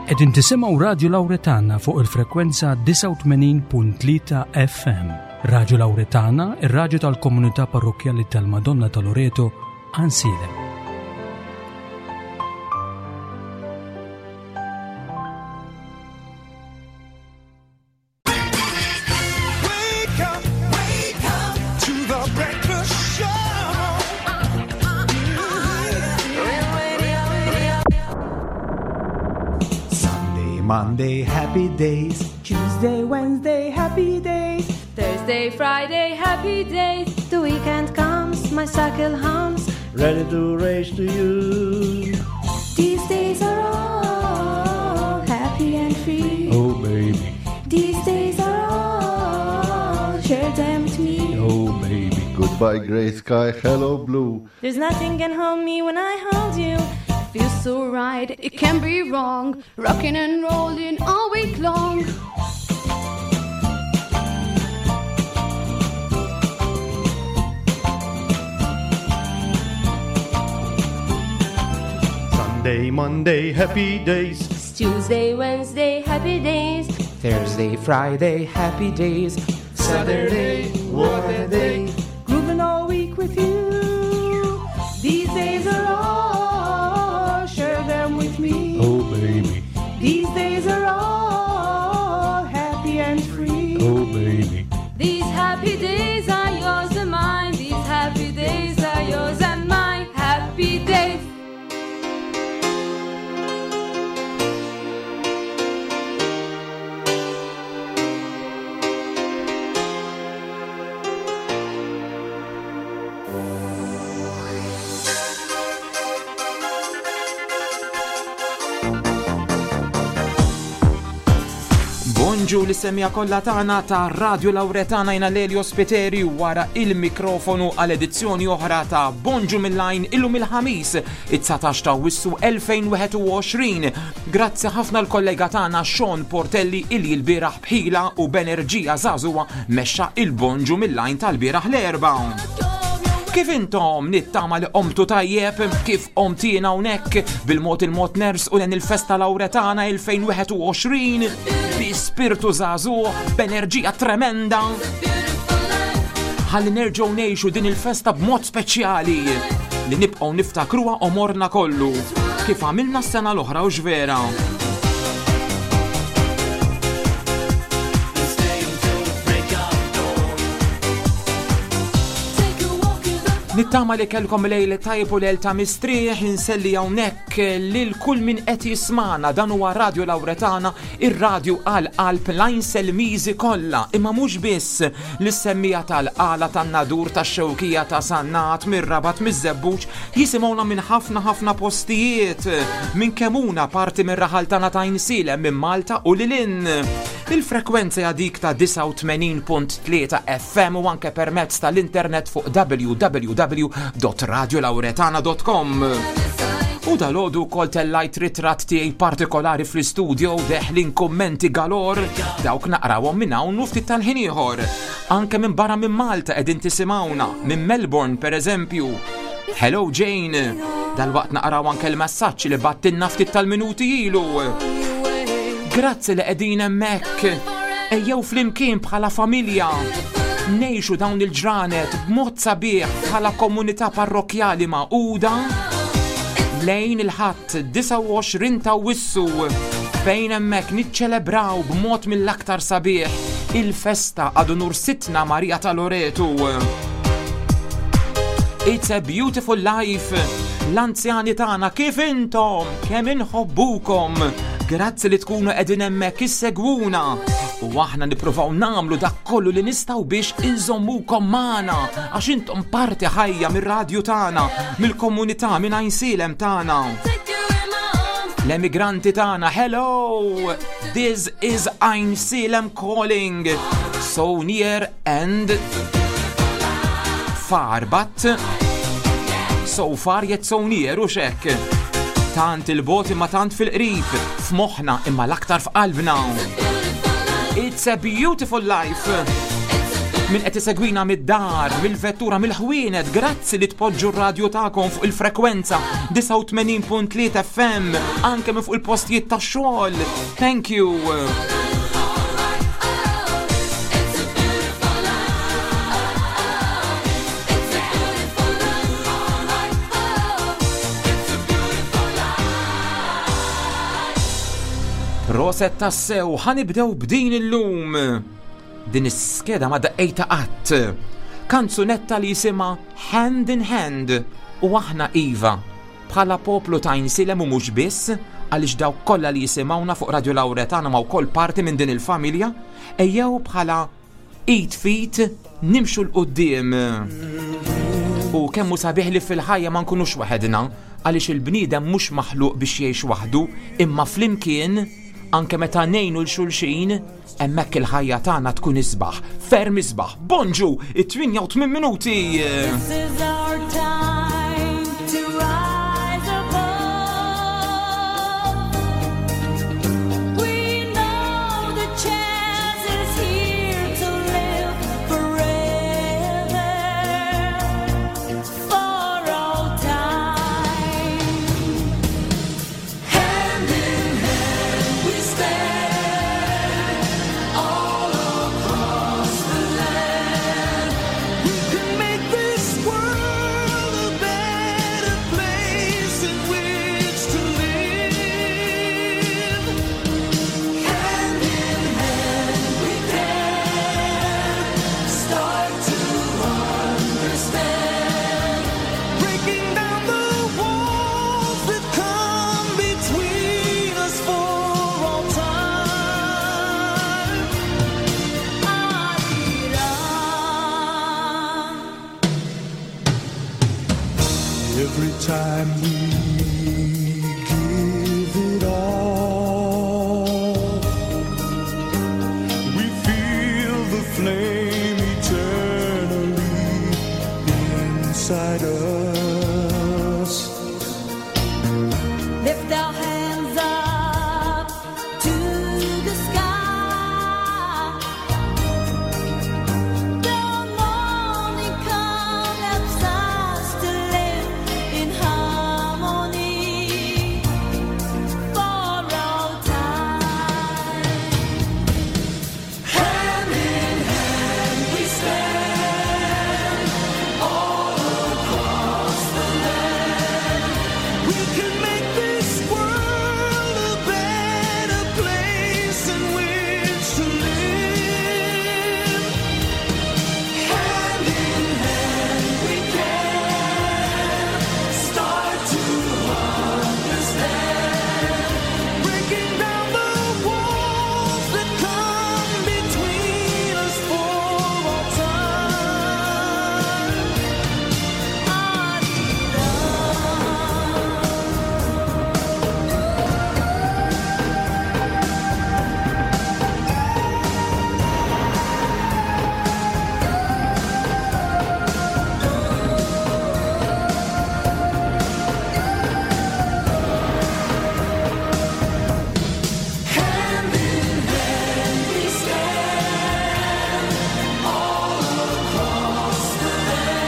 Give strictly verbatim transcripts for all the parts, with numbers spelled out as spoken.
Qegħdin tisimgħu Radju Lawretana fuq il-frekwenza disgħa u tmenin punt tlieta F M. Radju Lawretana, ir-radju tal-komunità parrokkjali tal-Madonna ta' Loreto, Għajnsielem. Monday, happy days. Tuesday, Wednesday, happy days. Thursday, Friday, happy days. The weekend comes, my cycle hums. Ready to race to you. These days are all happy and free. Oh, baby. These days are all, share them with me. Oh, baby. Goodbye, grey sky, hello, blue. There's nothing can hold me when I hold you. Feels so right, it can't be wrong. Rocking and rolling all week long. Sunday, Monday, happy days. It's Tuesday, Wednesday, happy days. Thursday, Friday, happy days. Saturday, what a day. Grooving all week with you. These days are all, share them with me. Oh, baby. These days are all happy and free. Oh, baby. These happy days are yours and mine. These happy days are yours and mine. Happy days. Bonġu li semija kollha tagħna ta' Radio Lawretana jina Lelio Spiteri wara il-mikrofonu għal edizzjoni oħra ta' Bonġu mill-Għajn illum il-ħamis it-dsatax ta' Awwissu elfejn wieħed u għoxrin. Grazzi ħafna l-kollega tagħna Sean Portelli illi l-bieraħ bħila u b'enerġija żagħżugħa mexxa il-Bonġu mill-Għajn tal-bieraħ l-Erbgħa. Kif intom nittama li qomtu tajjeb, kif qomtina hawnhekk bil-mod il-mod ners u len il-festa Lawretana elfejn wieħed u għoxrin bi spiritu żagħżugħ, b'enerġija tremenda. Ħalli nerġgħu ngħixu din il-festa b'mod speċjali li nibqgħu niftakruha omorna kollu kif għamilna s-sena l-oħra u x'vera. Nittama li kellkom lejl tajb u lejl ta' mistrieħ, inselli hawnhekk lil kull min qed jismana. Dan huwa Radio Lawretana, ir-radju għal qalb l-Għajnselmiżi kollha, imma mhux biss l-semmija tal-Qala, tan-Nadur, tax-Xewkija, ta' Sannat, mir-Rabat, miż-Żebbuġ, jisimgħuna minn ħafna ħafna postijiet, minn Kemuna, parti mir-raħal tagħna ta' Għajnsielem, minn Malta u lil hinn. Il-frekwenza hija dik ta' disgħa u tmenin punt tlieta F M u anke permezz tal-internet fuq w w w dot radio lawretana dot com. U dal-għodu kol tellajt ritratt tiegħi partikolari fl-istudio deħlin kummenti galor, dawk naqrawhom minn hawn u ftit tal-ħin ieħor. Anke minn barra minn Malta qegħdin tisimgħuna, minn Melbourne per eżempju. Hello Jane, dal-waqt naqraw anke l-messaġġ li battilna ftit tal-minuti ilu. Grazzi li qegħdin hemmhekk. Ejjew flimkien bħala familja. Nejxu dawn il-ġranet b'mod sabiħ bħala komunità parrokjali magħquda lejn il-Ħadd disgħa u għoxrin ta' Awwissu fejn hemmhekk niċċelebraw b'mod mill-aktar sabiħ il-festa ad unur Sidtna Marija ta' Loretu. It's a beautiful life. L-anzjani tagħna kif intom, kemm inħobbukom. Grazzi li tkunu qegħdin hemmhekk issegwuna. U aħna nippruvaw nagħmlu dak kollu li nistgħu biex inżommukom magħna, għax intom parti ħajja mir-radju tagħna, mill-komunità, minn Għajnsielem tagħna. L-emigranti tagħna, hello! This is Għajnsielem calling. So near and far, but so far yet so near, u xek. Tant il-bot imma tant fil-qrib, f'moħħna imma l-aktar f'qalbna. It's a beautiful life. Min qed isegwina mid-dar, mill-vettura, mill-ħwienet, grazzi li tpoġġu r-radju tagħkom fuq il-frekwenza disgħa u tmenin punt tlieta F M, anke minn fuq il-postijiet tax-xogħol. Thank you. Proset tassew, ħanibdew b'din illum. Din is-skeda ma daqqejta qatt. Kanzunetta li jisimha Hand in Hand u aħna iva bħala poplu ta' Għajnsielem u mhux biss, għaliex dawk kollha li jisimgħuna fuq Radio Lauretana ma wkoll parti minn din il-familja, ejjew bħala id fit nimxu l-qudiem. U kemm hu sabiħ li fil-ħajja ma nkunux waħedna, għaliex il-bniedem mhux maħluq biex jgħix waħdu, imma flimkien anke meta ngħinu l xulxin, hemmhekk il-ħajja tagħna tkun isbaħ, ferm isbaħ. Bonġu, it-tminja u tmien minuti. This is our time to rise above. We know the chance is here to live forever, for all time. Hand in hand we stand, all across the land. We can make this world a better place in which to live. Hand in hand we can start to understand. Breaking down the walls that come between us for all time. Every time we give it all, we feel the flame eternally inside us. Lift our hands up to the sky. The morning comes, helps us to live in harmony for all time. Hand in hand we stand, all across the land. We can make this world a better place in which to live. Hand in hand we can start to understand. Breaking down the walls that come between us for all time. Hand in hand we stand, all across the land.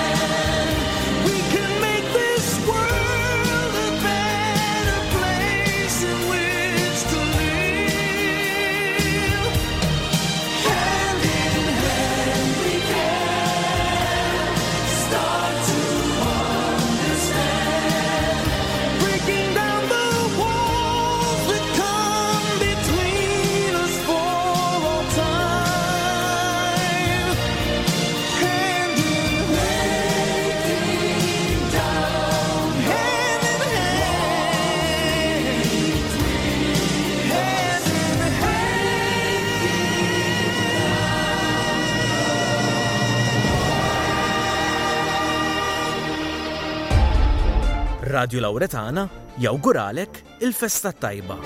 We can make this world a better place in which to live. Hand in hand we can start to understand. Breaking down the walls that come between us for all time. Hand in hand, Down hand in hand, hand in hand. Radio Lauretana jawguralek il-festa tajba.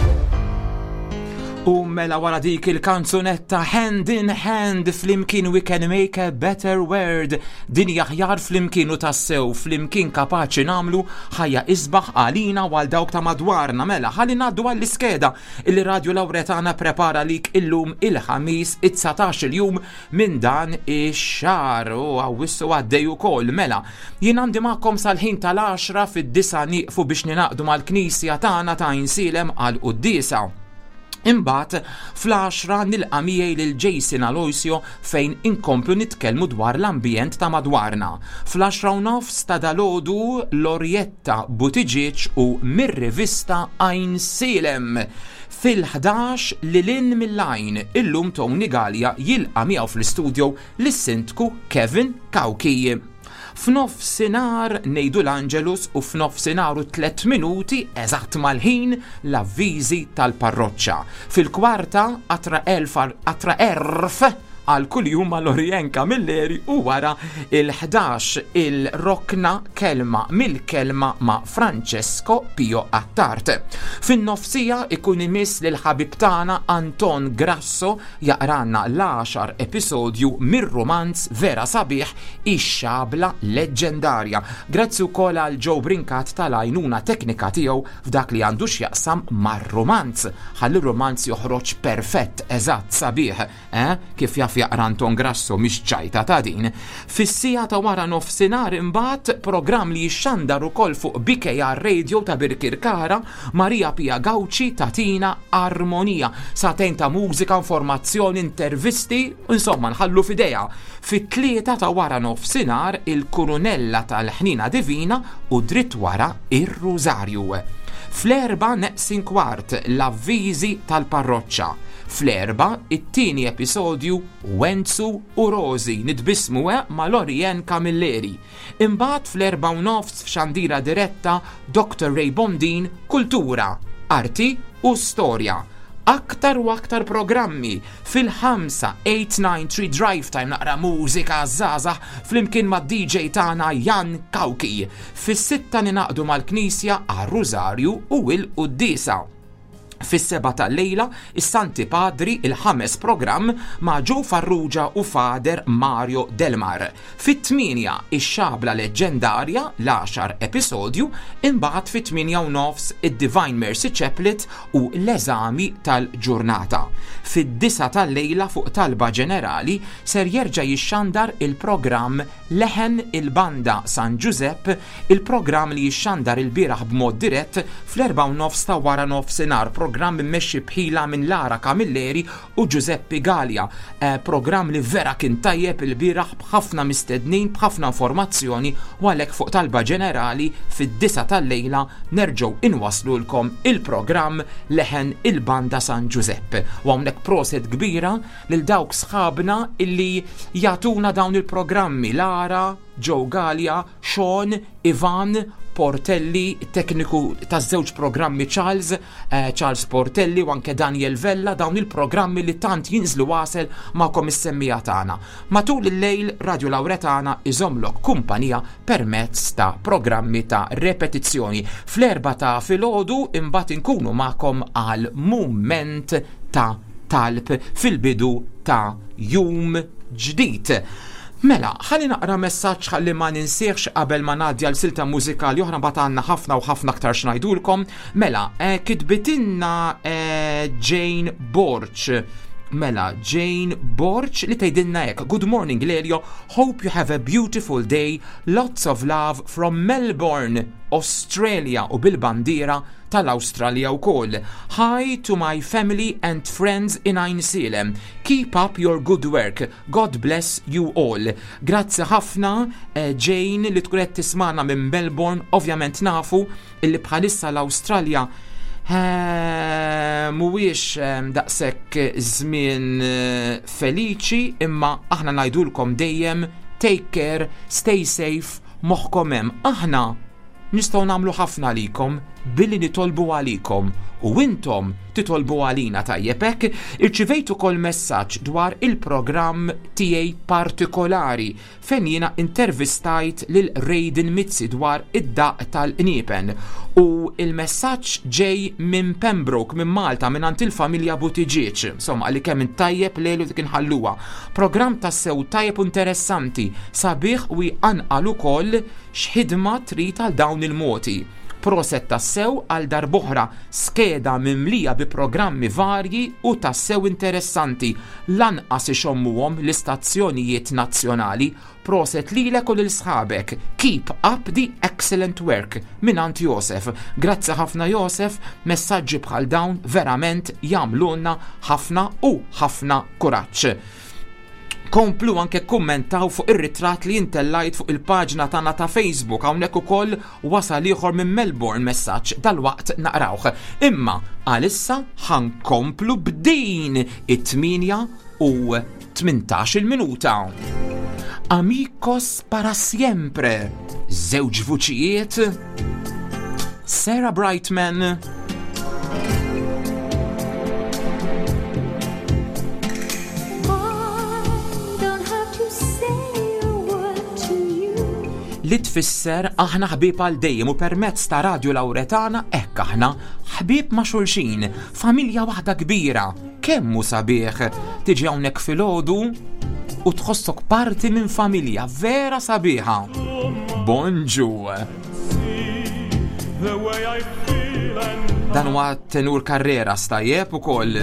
U mela wara dik il-kanzunetta "Hand in Hand", flimkien we can make a better world. Dinja aħjar flimkien, u tassew flimkien kapaċi nagħmlu ħajja isbaħ għalina u għal dawk ta' madwarna. Mela, ħalli ngħaddu għall-iskeda il Radio Lauretana prepara lik illum, il-Ħamis, it-dsatax il-jum minn dan ix-xahar, u Awwissu għaddej ukoll. Mela, jien għandi magħkom sal-ħin tal-għaxra. Fid-disgħa nieqfu biex ningħaqdu mal-Knisja tagħna ta' Għajnsielem għal quddiesa. Imbagħad fl-għaxra nilqa' miegħi lil Jason Aloisio fejn inkomplu nitkellmu dwar l-ambjent ta' madwarna. Fl-għaxra u nofs ta' dalgħodu, Lorietta Buttigieg u mir-rivista Għajnsielem. Fil-ħdax, Lil Hinn mill-Għajn, illum Tony Gallia jilqa' miegħu fl-istudio lis-Sindku Kevin Cauchi. F'nofsinhar ngħidu l-Angelus u f'nofsinhar u tliet minuti, eżatt mal-ħin, l-avviżi tal-parroċċa. Fil-kwarta, atra elf atra erf għal kuljum ma' Lorien Camilleri u wara il-ħdax il-rokna Kelma mill-Kelma ma' Francesco Pio Attard. Fin-nofsija ikun imiss lil ħabib tagħna Anton Grasso jaqranna l-għaxar episodju mir-romanz vera sabiħ Ix-Xabla Leġġendarja. Grazzi wkoll għal Joe Brinkat tal-għajnuna teknika tiegħu f'dak li għandu x'jaqsam mar-romanz. Ħalli romanz joħroġ perfett, eżatt, sabiħ, eh? Kif jaf jaqra Anton Grasso, mhix ċajta ta' din. Fis-siegħa ta' wara nofsinhar imbagħad, programm li jixxandar ukoll fuq B K R Radio ta' Birkirkara, Maria Pia Gauci tatina Armonija. Sagħtejn ta' mużika, informazzjoni, intervisti, insomma nħallu f'idejha. Fit-tlieta ta' wara nofsinhar, il-Kurunella tal-Ħnina Divina u dritt wara ir-Rużarju. Fl-erba neqsin kwart, l-avviżi tal-parroċċa. Fl-erbgħa, it-tieni episodju Wenzu u Rosi, nitbismu eh, ma' Lorien Camilleri. Imbagħad fl-erbgħa u nofs, f'xandira diretta, Doctor Ray Bondin, Kultura, Arti u Storja. Aktar u aktar programmi fil-ħamsa, eight nine three Drive Time, naqra mużika żgħażagħ flimkien ma' D J tagħna Jan Kauki. Fis-sitta ningħaqdu mal-Knisja għar-Rużarju u il-Quddiesa. Fis-sebgħa tal-lejla, is-Santi Padri, il-ħames programm ma' Joe Farrugia u Fader Mario Delmar. Fit-tmienja, ix-Xabla Leġġendarja, l-għaxar episodju, imbagħad fit-tmienja u nofs id-Divine Mercy Chaplet u l-eżami tal-ġurnata. Fid-disgħa tal-lejla, fuq talba ġenerali, ser jerġa' jixxandar il-programm Leħen il-Banda San Giuseppe, il-programm li jixxandar il-bieraħ b'mod dirett fl-erbgħa u nofs ta' wara nofsinhar, programm immexxi bħila minn Lara Camilleri u Giuseppe Gallia. Eh, programm li vera kien tajjeb il-bieraħ, b'ħafna mistednin, b'ħafna informazzjoni, u għalhekk fuq talba ġenerali fid-disgħa tal-lejla nerġgħu inwaslulkom il-programm Leħen il-Banda San Giuseppe. U hawnhekk proset kbira lil dawk sħabna illi jagħtuna dawn il-programmi: Lara, Joe Gallia, Sean, Ivan Portelli, tekniku ta' żewġ programmi Charles, eh, Charles Portelli u anke Daniel Vella, dawn il-programmi li tant jinżlu għasel magħkom is-semmiegħa tagħna. Matul il-lejl, Radio Lauretana iżomlok kumpanija permezz ta' programmi ta' repetizzjoni. Fl-erbgħa ta' filgħodu imbagħad inkunu magħkom għal mument ta' talb fil-bidu ta' jum ġdid. Mela, ħalli naqra messaġġ ħalli ma ninsiex qabel ma ngħaddi għal silta mużikali oħra, mbagħad għandna ħafna u ħafna aktar x'ngħidulkom. Mela, eh, kitbitilna eh, Jane Borch. Mela, Jane Borch li tgħidilna hekk: "Good morning, Lelio, hope you have a beautiful day, lots of love from Melbourne, Australia", u bil-bandiera tal-Australia wkoll. "Hi to my family and friends in Għajnsielem. Keep up your good work. God bless you all." Grazzi ħafna, eh, Jane, li tkun qed tismana minn Melbourne. Ovvjament nafu illi bħalissa l-Awstralja eh, mhuwiex eh, daqshekk żmien eh, feliċi, imma aħna ngħidulkom dejjem take care, stay safe, moħħkom hemm. Aħna nistgħu nagħmlu ħafna għalikom billi nitolbu għalikom. U intom titolbu għalina, tajjeb hekk. Irċivejt ukoll messaġġ dwar il-programm tiegħi partikolari fejn jiena intervistajt lil Raiden Mizzi dwar id-daq tal-qniepen u il-messaġġ ġej minn Pembroke, minn Malta, minn għand il-familja Buttigieg. Insomma, li kemm tajjeb lejlu dik inħalluha. Programm tassew tajjeb u interessanti, sabiħ u jqanqal ukoll x'ħidma trid għal dawn il-moti. Proset tassew għal darb'oħra, skeda mimlija bi programmi varji u tassew interessanti. Lanqas ixommuhom l-istazzjonijiet nazzjonali. Proset lilek u lil sħabek. Keep up the excellent work. Mingħand Josef. Grazzi ħafna, Josef, messaġġi bħal dawn verament jagħmlulna ħafna u ħafna kuraġġ. Komplu anke kummentaw fuq ir-ritratt li intellajt fuq il-paġna tagħna ta' Facebook. Hawnhekk ukoll wasal ieħor minn Melbourne messaġġ, dalwaqt naqrawh. Imma għalissa ħa nkomplu b'din it-tmienja u tmintax-il minuta. Amigos para siempre. Żewġ vuċijiet. Sarah Brightman. I don't have to say a word to you. Li tfisser aħna ħbieb għal dejjem u permezz ta' Radio Lauretana hekk aħna ħbieb ma' xulxin, familja waħda kbira. Kemm hu sabiħ tiġi hawnhekk filgħodu u tħossok parti minn familja vera sabiħa. Bonġu. The way I feel and Dan huwa tenur Carrera stajjeb ukoll.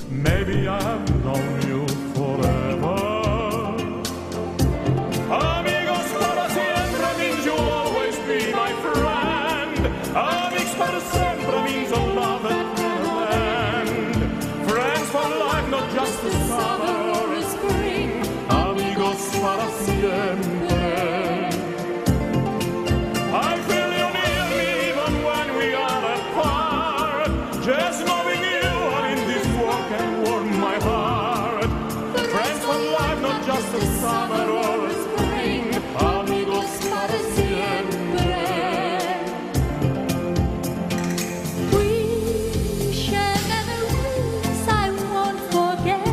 Maybe I've known you forever. Amigos para siempre means you'll always be my friend. Amics para sempre means a love that never end. Friends for life, not just a summer or a spring. Amigos para siempre. I feel you near me even when we are apart. Just knowing you are in this world can warm my heart. Friends for life, not just a summer or a spring. Amigos para siempre. We share memories I won't forget,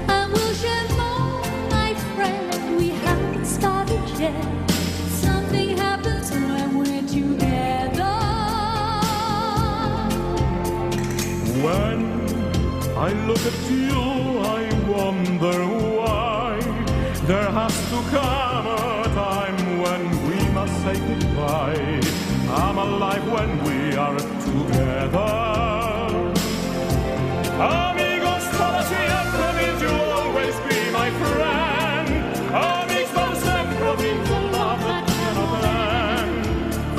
and we'll share more, my friend. We haven't started yet. Something happens when we're together. When I look at you, I wonder why there has to come a time when we must say goodbye. I'm alive when we are together. Amigos para siempre means you'll always be my friend. Amigos para siempre means a love that cannot end.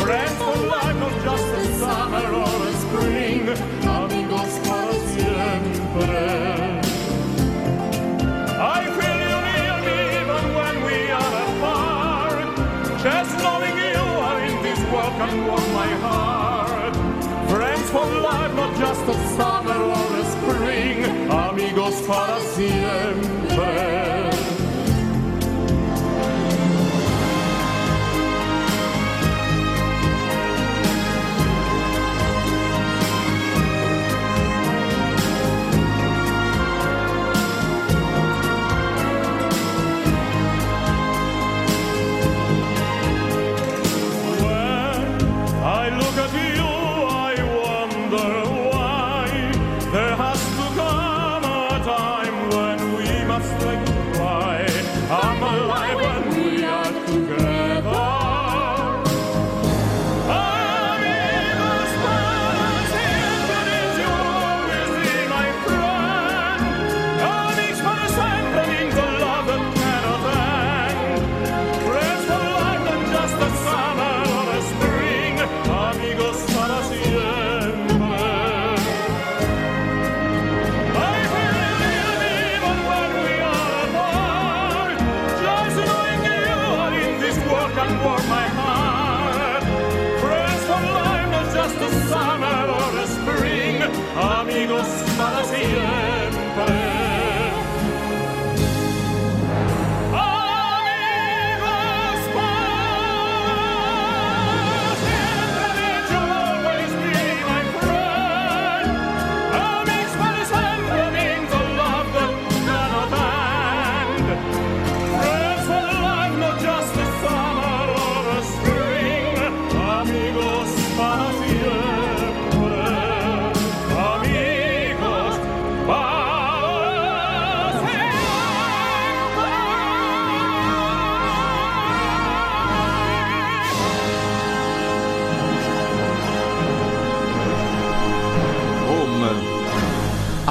Friends for life, not just a summer or a spring. Amigos para siempre. I feel you near me even when we are apart. Just knowing you are in this world can warm my heart. Friends for life, not just a summer or a spring. Amigos para siempre. When I look at you, I wonder why there has to come a time when we must say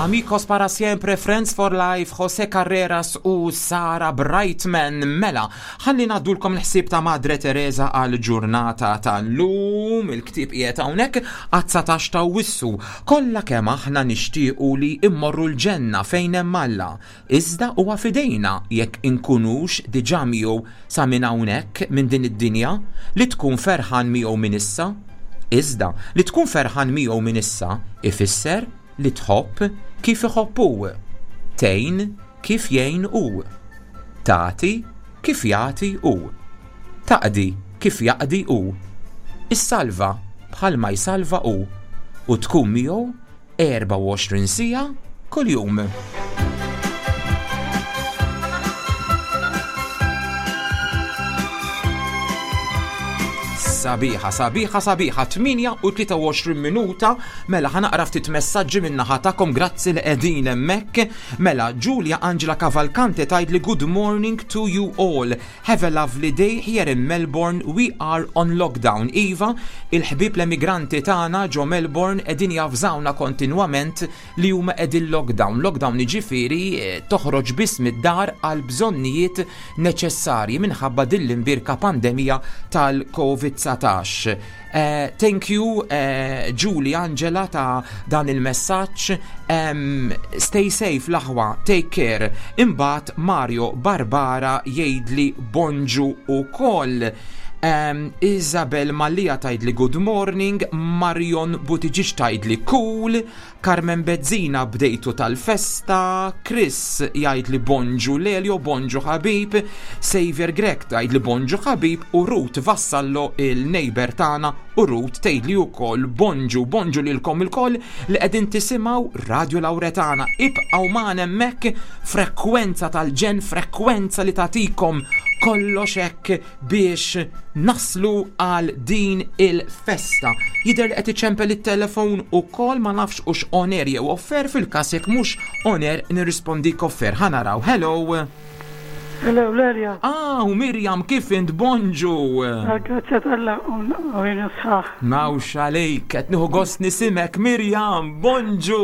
Amigos para siempre, Friends for Life, Jose Carreras u Sara Brightman. Mela, ħalli ngħaddulkom l-ħsieb ta' Madre Teresa għal ġurnata tal-lum, il-ktieb qiegħed hawnhekk għat-dsatax ta' Awwissu. Kollha kemm aħna nixtiequ li immorru l-ġenna fejn hemm Alla. Iżda huwa fidejna jekk inkunux diġà miegħu sa minn hawnhekk minn din id-dinja li tkun ferħan miegħu minn issa. Iżda li tkun ferħan miegħu minn issa ifisser li tħobb kif iħobb hu, tgħin kif jgħin hu, tagħti kif jagħti hu, taqdi kif jaqdi hu, issalva bħalma jsalva hu, u tkun miegħu erbgħa u għoxrin siegħa kuljum. Sabiħa, sabiħa, sabiħa, tmienja u tlieta u għoxrin minuta, mela ħanaqra ftit messaġġi minn naħa tagħkom, grazzi li qegħdin hemmhekk. Mela, Giulia Angela Cavalcante tgħid li good morning to you all. Have a lovely day here in Melbourne, we are on lockdown. Iva, il-ħbieb l-emigranti tagħna ġo Melbourne qegħdin javżawna kontinwament li huma qegħdin lockdown. Lockdown jiġifieri, eh, toħroġ biss mid-dar għal bżonnijiet neċessarji minħabba din l-imbirka pandemija tal-Covid dsatax. Eh, thank you, eh, Julie Angela ta' dan il-messaġġ. Em, stay safe l-aħwa, take care. Imbagħad Mario Barbara jgħidli bonġu ukoll. Em, Isabel Mallia tgħidli good morning, Marion Buttigieg tgħidli cool, Carmen Bezzina bdejtu tal-festa, Chris jgħidli bonġu Lelio, bonġu ħabib, Xavier Grech tgħidli bonġu ħabib u Ruth Vassallo il-neighbor tagħna u Ruth tgħidli wkoll bonġu, bonġu lilkom ilkoll li qegħdin tisimgħu Radio Lauretana. Ibqgħu magħna hemmhekk, frekwenza tal-ġen, frekwenza li tagħtikom kollox hekk biex naslu għal din il-festa. Jidher li qed iċempel it-telefon ukoll, ma nafx hux on air jew off air, fil-każ jekk mhux on air nirrispondik off air. Ħa naraw. Hello. Hello, Lerja. Ah, u Mirjam, kif int? Bonġu. Grazie t'Alla, u jien sħaħ. Mawx għalejk, qed nieħu gost nisimek, Mirjam, bonġu.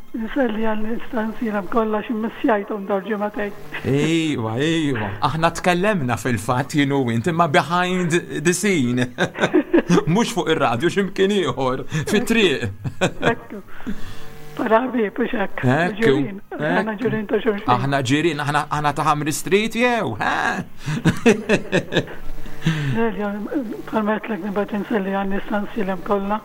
Nselli għall-istanzina kollha xi missjajthom dawn ġimagħtejn. Ejwa, ejwa. Aħna tkellemna fil-fatt jien u int, imma behind the scene. Mhux fuq ir-radju, x'imkien ieħor, fit-triq. Ekku. Para ħbieb, u x'hekk. Ekku, Ġirien. Aħna ekku. ġirien ta' xulxin. Aħna ġirien, aħna, aħna ta' Ħamri Street jew, ha? Lelja, bħalma għedtlek nibgħat inselli għall-istanzilem kollha.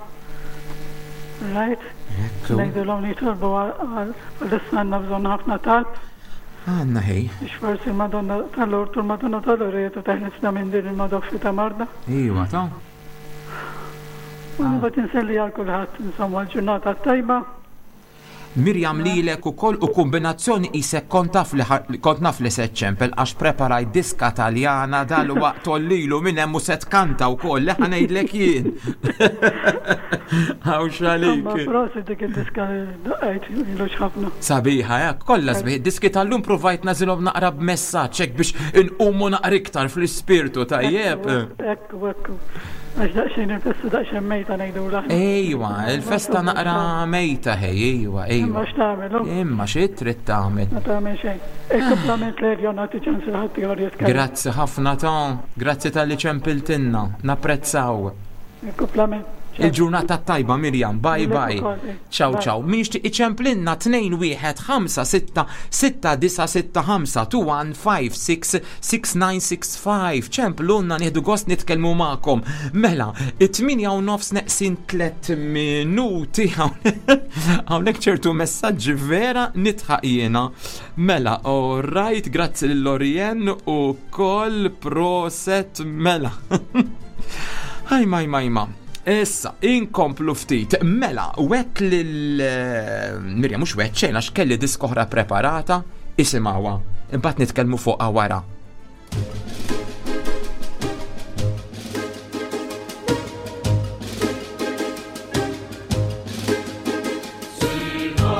Right? Ekku. Ngħidulhom li jitolbu għal għal-issa għandna bżonn ħafna talb. Għandna ħej. Biex forsi il-Madonna tal-Lourdes u l-Madonna tal-Loreto teħlisna minn din il-madoffi ta' marda. Iva, ta' U nibgħat inselli għal kulħadd, insomma, l-ġurnata tajba. Mirjam, lilek ukoll u kombinazzjoni isek kont taf li ħar-, kont naf li se ċempel għax preparaj diska taljana dal-waqt tollilu minn hemm u se tkanta wkoll, li ħa ngħidlek jien. Hawn x'għalik. Insomma, prosit dik id-diska li daqqajt ilu ħafna. Sabiħa, eh? Kollha sbieħ. Diski tal-lum provajt nażilhom naqra b'messaġġ hekk biex inqumu naqra iktar fl-ispirtu, tajjeb. Ekku, ekku. Għax daqsxejn il-festa daqsxejn mejta ngħidu l-aħna. Ejwa, il-festa naqra mejta ħej, ejwa, ejwa. Imma x'tagħmel, hu? Imma xi trid tagħmel? Ma tagħmel xejn. Il-kumplament l-erja nagħti ċans il ħadd ieħor jitkellem. Grazzi ħafna ta' grazzi talli ċempiltinna, napprezzaw. Il-kumplament. Il-ġurnata tajba, Mirjam, bye Lilek bye. ukoll, eh. Ciao, Bye. ciao. Min jixtieq iċemplinna tnejn wieħed ħamsa sitta sitta disa sitta ħamsa two one five six six nine six five. Ċemplunna, nieħdu gost nitkellmu magħkom. Mela, it-tmienja u nofs neqsin tliet minuti. Hawnhekk ċertu messaġġi vera nitħaq jiena. Mela, all right, grazzi lil Lorien u koll proset mela. Ħaj, maj, maj, ma. Issa, inkomplu ftit. Mela, wet lil, eh, Mirjam, mhux wet xejn, għax kelli diska oħra preparata, isimgħuha. Imbagħad nitkellmu fuqha wara. Siva,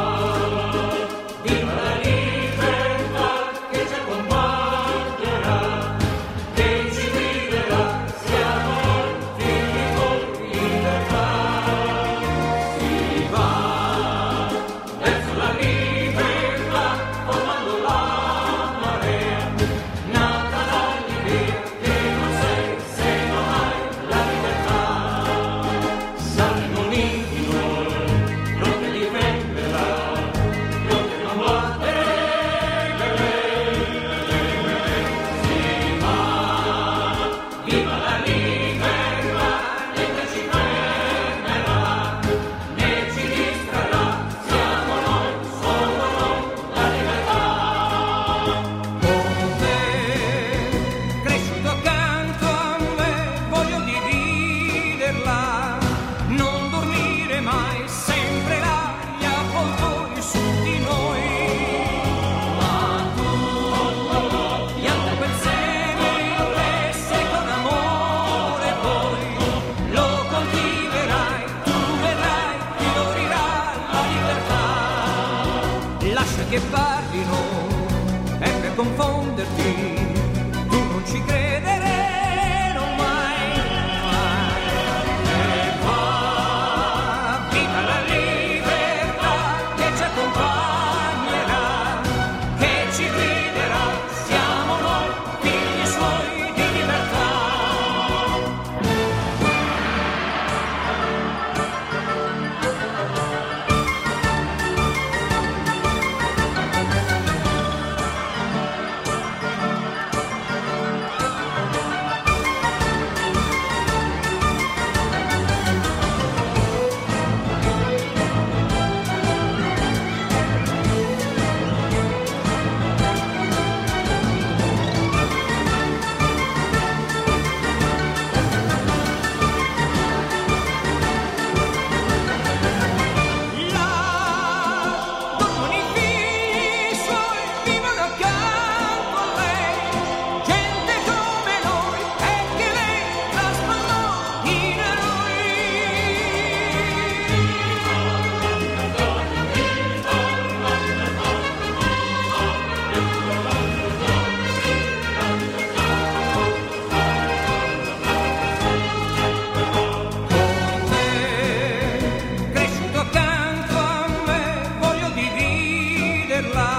che parlino è per confonderti, tu non ci credere, non mai, mai. E va, viva la libertà che ci accompagnerà, che ci guiderà, siamo noi figli suoi di libertà. Là dormono i figli suoi, vivono accanto a lei, gente come noi e che lei trasformò in eroi. Con te, cresciuto accanto a me, voglio dividerla,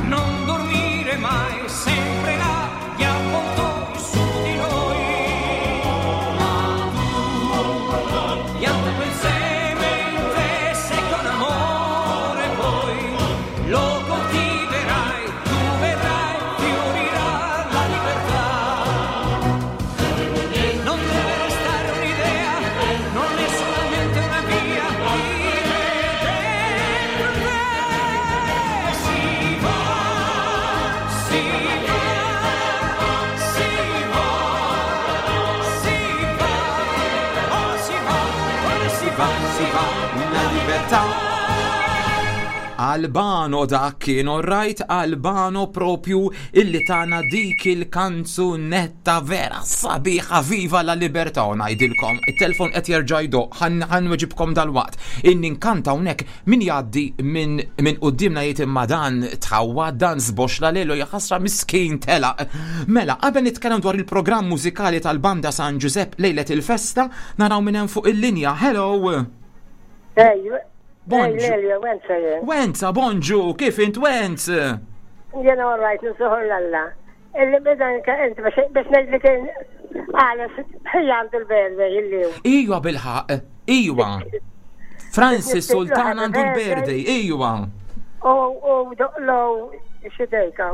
non dormire mai, sempre là, gli avvoltoi su di noi. Ma tu, pianta quel seme in te, se con amore poi lo coltiverai, tu vedrai, fiorirà la libertà. Non deve restare un'idea, non è solamente una via, vive dentro te. Si va, si va, si va, si va, oh si va, ora si va, si va, La libertà. Albano dak kien, alright, Albano propju illi tana dik il-kanzunetta vera sabiħa, viva la libertà. U ngħidilkom, it-telefon qed jerġa' jdoqq, ħa nweġibkom dalwaqt. Inni nkanta hawnhekk min jgħaddi minn min quddiemna jgħid imma dan tħawwa, dan żboxla lelu, jaħasra miskin telaq. Mela, qabel nitkellem dwar il-programm mużikali tal-Banda San Giuseppe lejlet il-festa, naraw minn hemm fuq il-linja. Hello! Ej, Bonġu. ej, Lelio, Wenza jien. Wenza, bonġu, kif int Wenz? Jena all right, nsuħur l-alla. Illi bida inti biex biex ngħidlek għales ħija għandu l-birthday illum. Iwa bilħaq, iwa. Francis Sultan għandu l-birthday, iwa. U u doqlow xi dejka.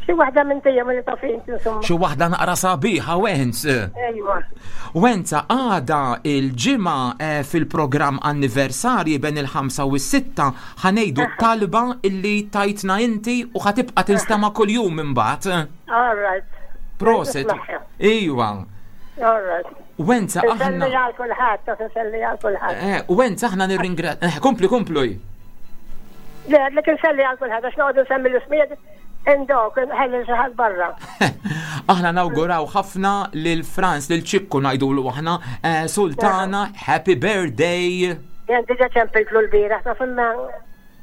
Xi waħda minn tija mill taf inti insomma. Xi waħda naqra sabiħa, Wenz. Ejwa. Wenza, għada il-ġimgħa eh, fil-programm anniversarji bejn il-ħamsa u s-sitta ħa ngħidu talba illi tajtna inti u ħa tibqa' tinstema' kuljum imbagħad. All right. Prosit. Iwa. All right. Wenza Nselli aħna. għal kulħadd, taf nselli għal kulħadd. Eh, Wenza aħna nirringra. Eh, kompli, kompli. Le, għadlek nselli għal kulħadd għax noqogħdu nsemmi l-ismijiet indok, ħalli xi ħadd barra. Aħna nawguraw ħafna lil Franz, lil Ċikku ngħidulu aħna, eh, Sultana, happy birthday. Jien diġà ċempiltlu l-bieraħ, taf imma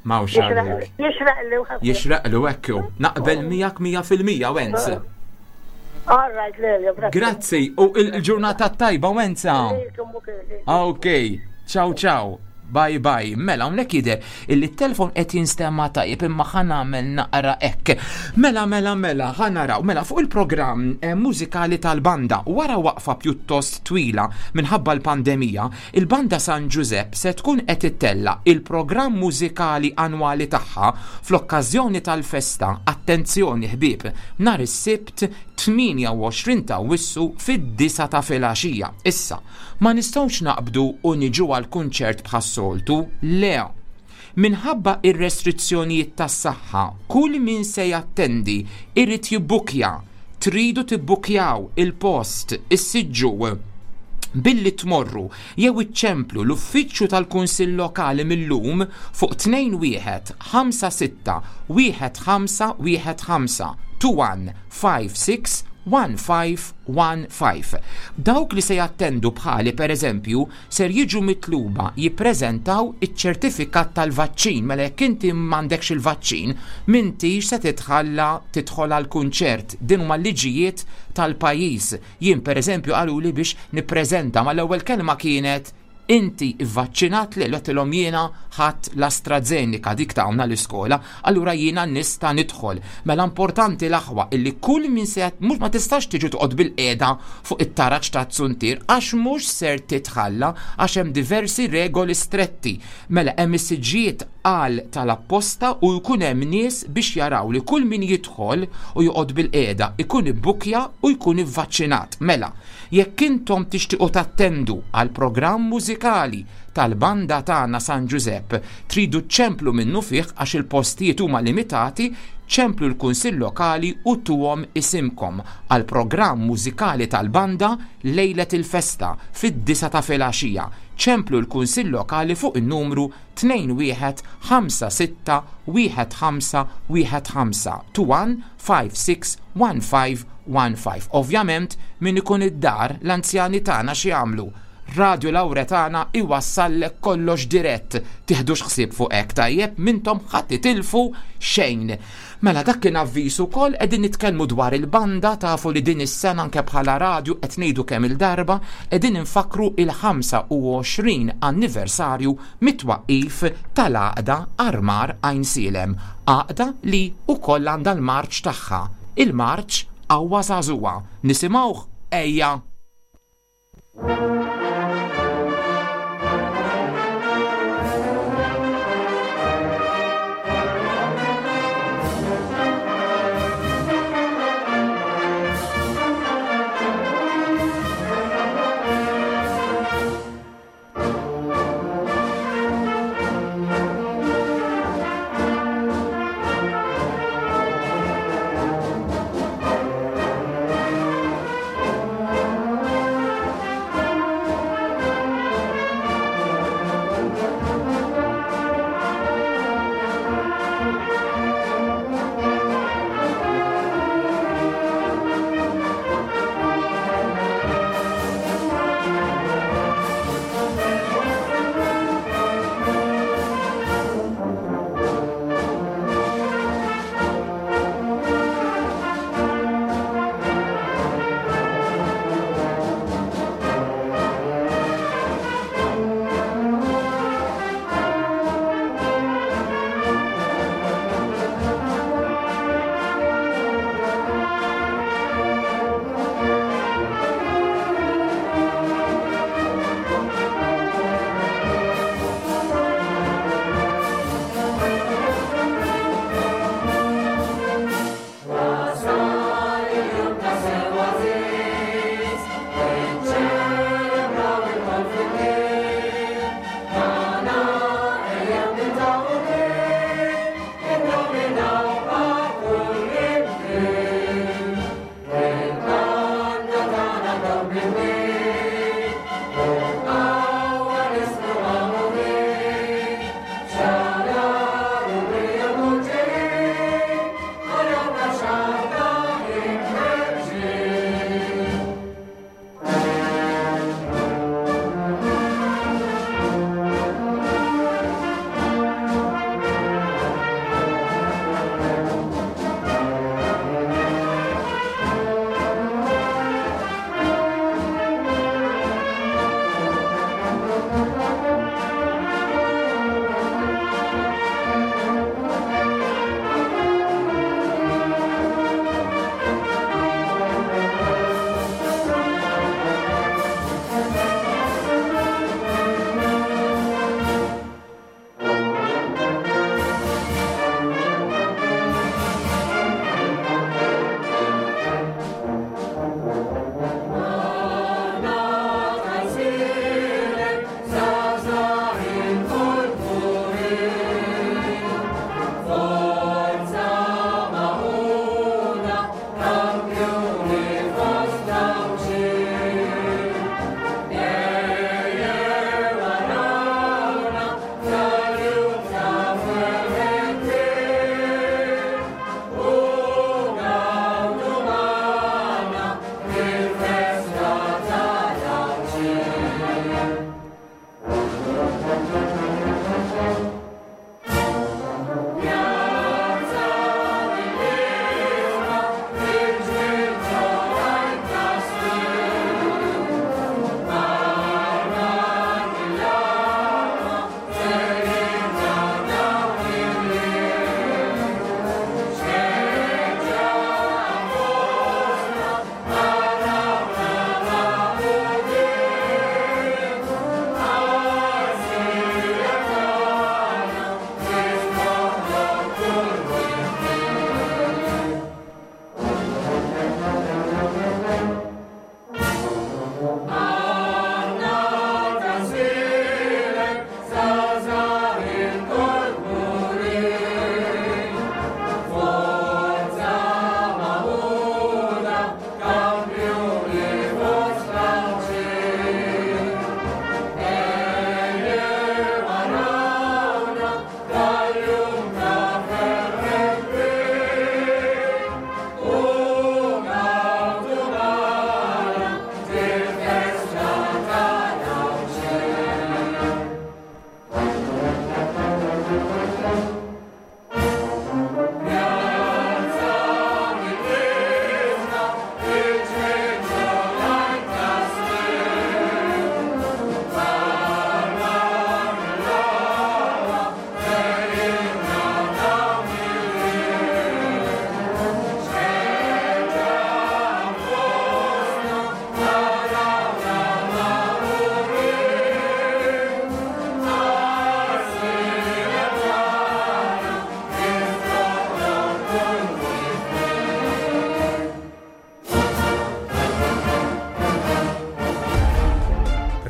Mawx għalik. jixraq li ħafna. Jixraqlu ekku. Naqbel miegħek mija fil-mija, Wenz. All right, Lelio, grazzi. Grazzi, u il-ġurnata tajba, Wenza. Lilkom ukoll. Ok, ciao ciao. Bye bye. Mela, hawnhekk jidher illi t-telefon qed jinstema' tajjeb imma ħa nagħmel naqra hekk. Mela, mela, mela, ħa naraw. Mela, fuq il-programm eh, mużikali tal-banda, wara waqfa pjuttost twila minħabba l-pandemija, il-Banda San Giuseppe se tkun qed ittella il-programm mużikali annwali tagħha fl-okkażjoni tal-festa. Attenzjoni ħbieb, nhar is-Sibt tmienja u għoxrin ta' Awwissu fid-disgħa ta' filgħaxija. Issa, ma nistgħux naqbdu u niġu għal kunċert bħas-soltu, le. Minħabba ir-restrizzjonijiet tas-saħħa, kull min se jattendi irid jibbukja. Tridu tibbukjaw il-post, is-siġġu billi tmorru jew iċċemplu l-uffiċċju tal-Kunsill Lokali mill-lum fuq tnejn wieħed ħamsa sitta wieħed ħamsa wieħed ħamsa two one five six one five one five. Dawk li se jattendu bħali per eżempju ser jiġu mitluba jippreżentaw iċ-ċertifikat tal-vaċċin. Mela jekk inti m'għandekx il-vaċċin, m'intix se titħalla tidħol għal kunċert. Din huma l-liġijiet tal-pajjiż. Jien per eżempju qaluli biex nippreżenta, ma l-ewwel kelma kienet inti vvaċċinat li għedtilhom jiena ħadt l-AstraZeneca dik tawna l-iskola, allura jiena nista' nidħol. Mela importanti l-aħwa illi kull min se jat-, mhux ma tistax tiġi toqgħod bil-qiegħda fuq it-taraġ ta' Zuntier għax mhux ser titħalla għax hemm diversi regoli stretti. Mela hemm is-siġġijiet għal tal-apposta u jkun hemm nies biex jaraw li kull min jidħol u joqgħod bil-qiegħda ikun ibbukja u jkun ivvaċċinat. Mela, jekk intom tixtiequ tattendu għal programm mużikali tal-banda tagħna San Giuseppe, tridu ċemplu minnu fih għax il-postijiet huma limitati, ċemplu l-Kunsill Lokali u tuhom isimkom għal programm mużikali tal-banda lejlet il-festa fid-disa ta' filgħaxija. Ċemplu l-Kunsill Lokali fuq in-numru tnejn wieħed ħamsa sitta wieħed ħamsa wieħed ħamsa, two one five six one five one five. Ovvjament min ikun id-dar l-anzjani tagħna xi jagħmlu? Radio Lauretana iwassallek kollox dirett. Tiħdux ħsieb fuq hekk tajjeb, mintom ħadd titilfu xejn. Mela dak kien avviż ukoll, qegħdin nitkellmu dwar il-banda, tafu li din is-sena anke bħala radju qed ngħidu kemm il-darba qegħdin infakru il-ħamsa u għoxrin anniversarju mit-twaqqif tal-għaqda Armar Għajnsielem, għaqda li wkoll għandha l-marċ tagħha, il-marċ Qawwa Żagħżugħa. Nisimgħuh, ejja! Thank you.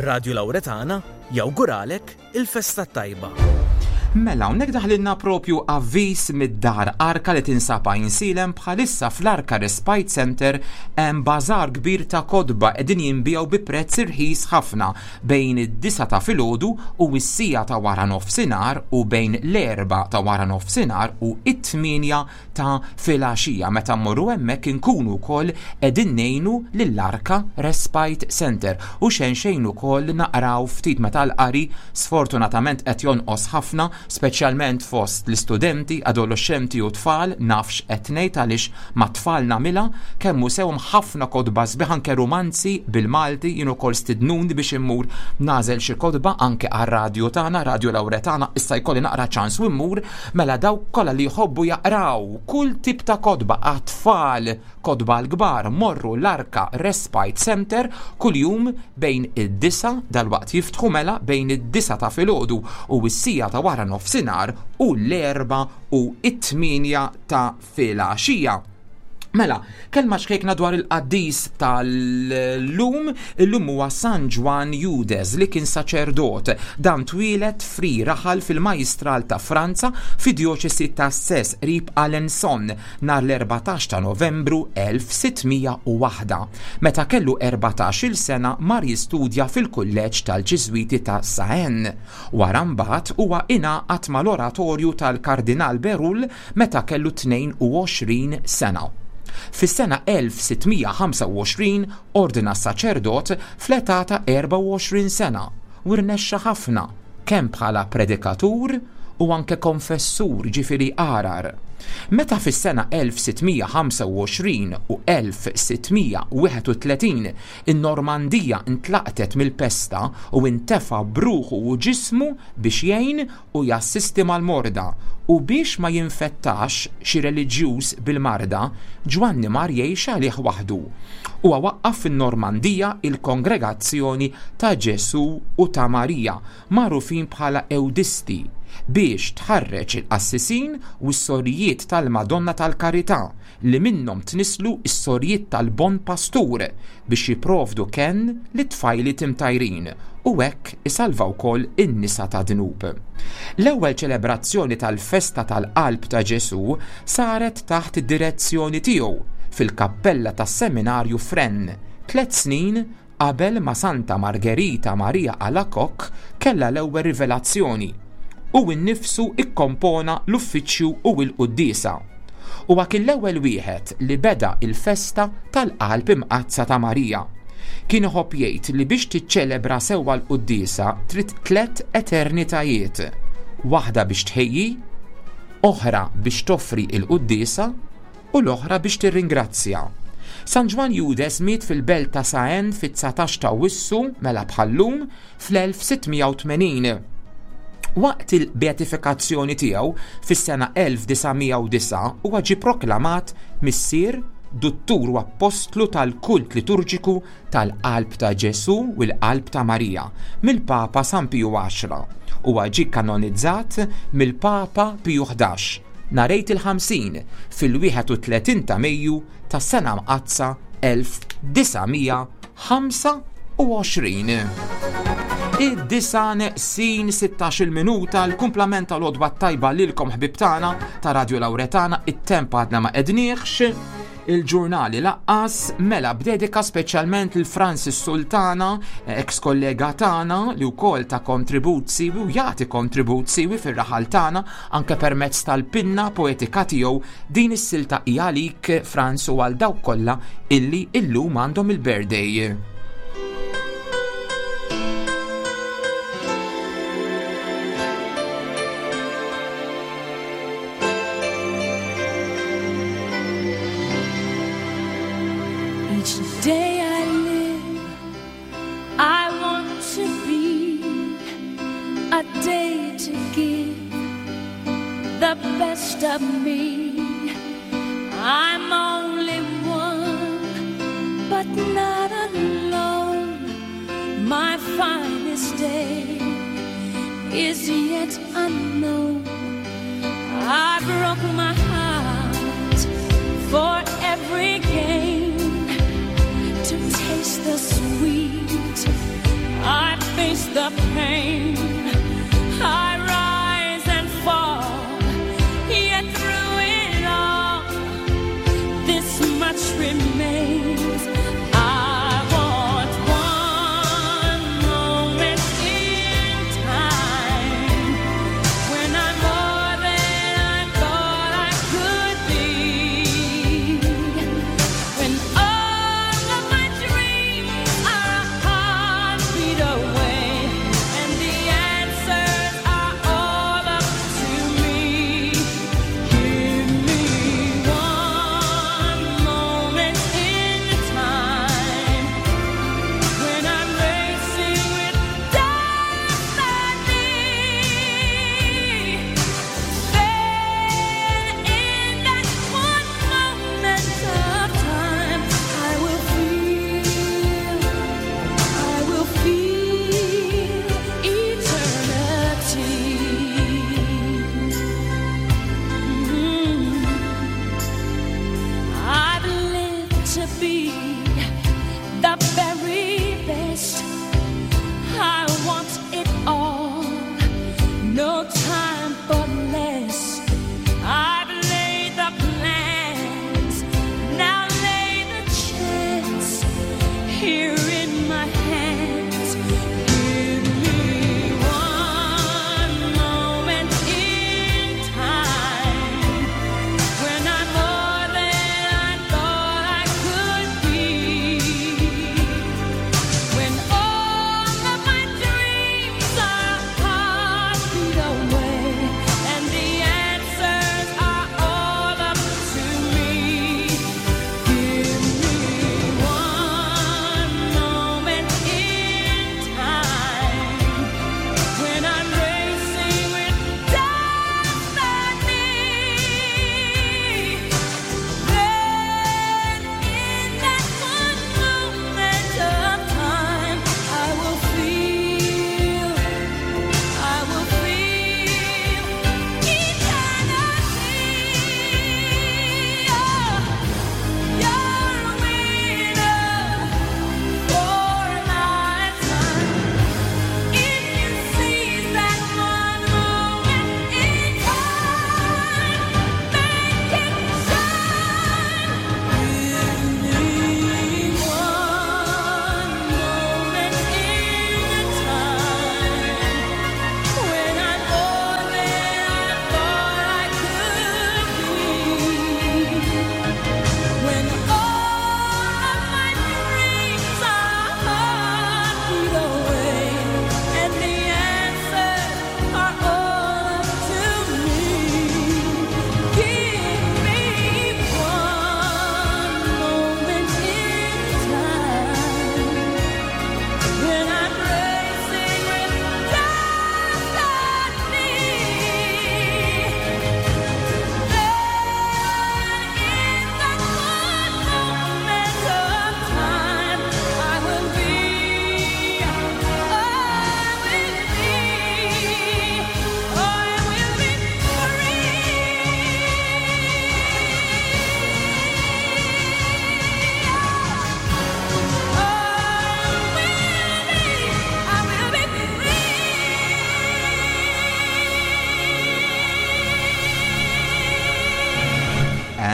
Radio Lauretana jawguralek il-festa tajba. Mela, hawnhekk daħlilna propju avviż mid-dar Arka li tinsab Għajnsielem. Bħalissa fl-Arka Respite Center hemm bażar kbir ta' kotba qegħdin jinbiegħu bi prezz irħis ħafna bejn id-disgħa ta' filgħodu u s-siegħa ta' wara nofsinhar u bejn l-erbgħa ta' wara nofsinhar u it-tmienja ta' filgħaxija. Meta mmorru hemmhekk inkunu wkoll qegħdin ngħinu lill-Arka Respite Center u xejn xejn ukoll naqraw ftit meta l-qari sfortunatament qed jonqos ħafna, speċjalment fost l-istudenti, adolescenti u tfal. Nafx qed ngħid għaliex ma' tfal nagħmilha kemm hu sewhom ħafna kotba sbieħ, anke rumanzi bil-Malti. Jien ukoll stidnuni biex immur nagħżel xi kotba anke għar-radju tagħna, Radio Lauretana, issa jkolli naqra ċans u mmur. Mela dawk kollha li jħobbu jaqraw kull tip ta' kotba għat-tfal, kotba l-kbar, morru l-Arka Respite Center kuljum bejn id-disgħa, dalwaqt jiftħu, mela bejn id-disgħa ta' filgħodu u s-siegħa ta' wara nofsinhar u l-erbgħa u it-tmienja ta' filgħaxija. Mela, kelma xkejkna dwar il-qaddis tal-lum. Illum huwa San Ġwann Eudes li kien saċerdot. Dan twieled fri raħal fil-Majstral ta' Franza fi djoċesi ta' Sens qrib Alençon nhar l-erbatax ta' Novembru elf sitt mija u waħda. Meta kellu erbatax-il sena mar jistudja fil-kulleġġ tal-Ġiżwiti ta' Caen. Wara mbagħad huwa ingħaqad mal-oratorju tal-Kardinal Bérulle meta kellu tnejn u għoxrin sena. Fis-sena elf sitt mija ħamsa u għoxrin ordna saċerdot fl-età ta' erbgħa u għoxrin sena u rnexxa ħafna kemm bħala predikatur u anke konfessur, ġifieri għargħar. Meta fis-sena elf sitt mija ħamsa u għoxrin u elf sitt mija wieħed u tletin in-Normandija intlaqtet mill-pesta u intefa bruħu u ġismu biex jgħin u jassisti mal-morda, u biex ma jinfettax xi reliġjuż bil-marda, Ġwanni mar jgħix għalih waħdu. U waqqaf fin-Normandija il-Kongregazzjoni ta' Ġesu u ta' Marija, magħrufin bħala Ewdisti, biex tħarreġ il-qassisin u s-sorijiet tal-Madonna tal-Karità li minnhom tnislu s-sorijiet tal-Bon Pastur biex jipprovdu kenn lit-tfajliet imtajrin u hekk isalvaw ukoll in-nisa ta' dnub. L-ewwel ċelebrazzjoni tal-festa tal-Qalb ta' Ġesu saret taħt id-direzzjoni tiegħu fil-kappella tas-seminarju f'Rennes, tliet snin qabel ma Santa Margherita Maria Alacoque kellha l-ewwel rivelazzjoni, u nnifsu ikkompona l-uffiċċju u l-quddiesa. Huwa kien l-ewwel wieħed li beda il-festa tal-Qalb Imqaddsa ta' Marija. Kien iħobb jgħid li biex tiċċelebra sewwa l-quddiesa trid tliet eternitajiet. Waħda biex tħejji, oħra biex toffri il-quddiesa u l-oħra biex tirringrazzja. San Ġwann Eudes miet fil-belt ta' Caen fit-dsatax ta' Awwissu, mela bħallum, fl-elf sitt mija u tmenin. Waqt il-beatifikazzjoni tiegħu fis-sena elf disa' mija u disgħa huwa ġie proklamat missier, duttur u appostlu tal-kult liturġiku tal-Qalb ta' Ġesu u l-Qalb ta' Marija mill-Papa San Piju Għaxra. Huwa ġie kanonizzat mill-Papa Piju ħdax nhar Għid il-Ħamsin fil-wieħed u tletin ta' Mejju tas-sena mqaddsa elf disa' mija ħamsa u għoxrin. Id-disgħa neqsin sittax-il minuta, l-kumplament tal-għodwa tajba lilkom ħbieb tagħna ta' Radio Lauretana. It-temp għadna ma għedniex, il-ġurnali lanqas. Mela b'dedika speċjalment lil Francis Sultana, ex kollega tagħna li wkoll ta kontribut siwi u jagħti kontribut siwi fir-raħal tagħna anke permezz tal-pinna poetika tiegħu. Din is-silta hija għalik, Franz, u għal dawk kollha illi illum għandhom il-birthday. Each day I live, I want to be a day to give the best of me. I'm only one, but not alone. My finest day is yet unknown. I broke my heart for every gain to taste the sweet. I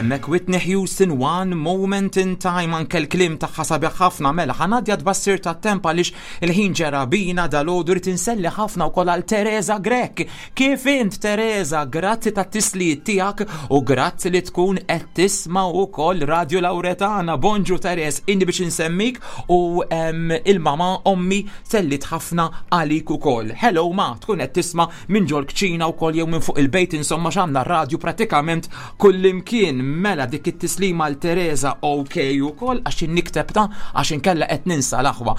Hemmhekk Whitney Houston, "One Moment in Time", anke l-kliem tagħha sabiħ ħafna. Mela, ħa ngħaddi għat-tbassir tat-temp għaliex il-ħin ġera bina dalgħodu. Rrid inselli ħafna wkoll għal Teresa Grech. Kif int, Teresa? Grazzi tat-tislijiet tiegħek u grazzi li tkun qed tisma' wkoll Radio Lauretana. Bonġu Teres, inni biex insemmik u em, il-mama ommi sellit ħafna għalik ukoll. Hello ma, tkun qed tisma' minn ġol kċina wkoll jew minn fuq il-bejt, insomma x'għandna radio pratikament kullimkien. Mela dik it-tislima għal Teresa, ok, ukoll għax nikteb ta' għax inkella qed ninsa l-aħwa.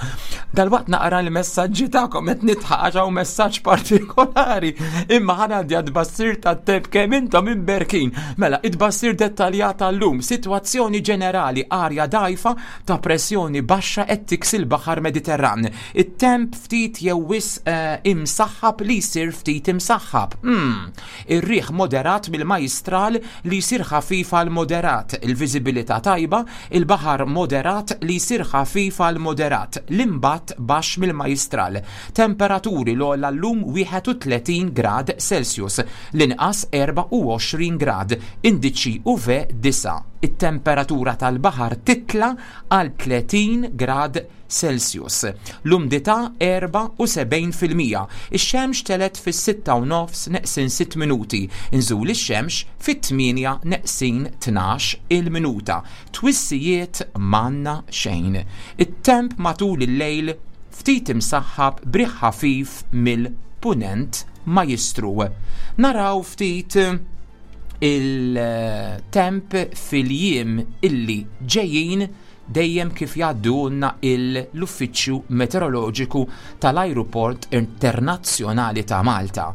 Dalwaqt naqra l-messaġġi tagħkom, qed nidħaq għax hawn messaġġ partikolari. Imma ħa ngħaddi għat-tbassir tat-temp, kemm intom imberkin. Mela, it-tbassir dettaljat tal-lum, sitwazzjoni ġenerali: arja dajfa ta' pressjoni baxxa qed tiksi l-Baħar Mediterran. It-temp ftit jew wisq eh, imsaħħab li jsir ftit imsaħħab. Mm. Ir-riħ moderat mill-majstral li jsir ħafif għal moderat, il-viżibilità tajba, il-baħar moderat li jsir ħafif għal moderat, l-imbatt baxx mill-majstral. Temperaturi: l-ogħla llum wieħed u tletin grad Celsius, l-inqas erbgħa u għoxrin grad, indiċi U V disgħa. It-temperatura tal-baħar titla għal tletin grad Celsius. L-umdità erbgħa u sebgħin fil-mija. Ix-xemx telgħet fis-sitta u nofs neqsin sitt minuti. Inżul ix-xemx fit-tmienja neqsin tnax il-minuta. Twissijiet m'għandna xejn. It-temp matul il-lejl ftit imsaħħab b'riħ ħafif mill-punent majstru. Naraw ftit il-temp fil-jiem illi ġejjin, dejjem kif jgħaddulna l-Uffiċċju Meteoroloġiku tal-Ajruport Internazzjonali ta' Malta.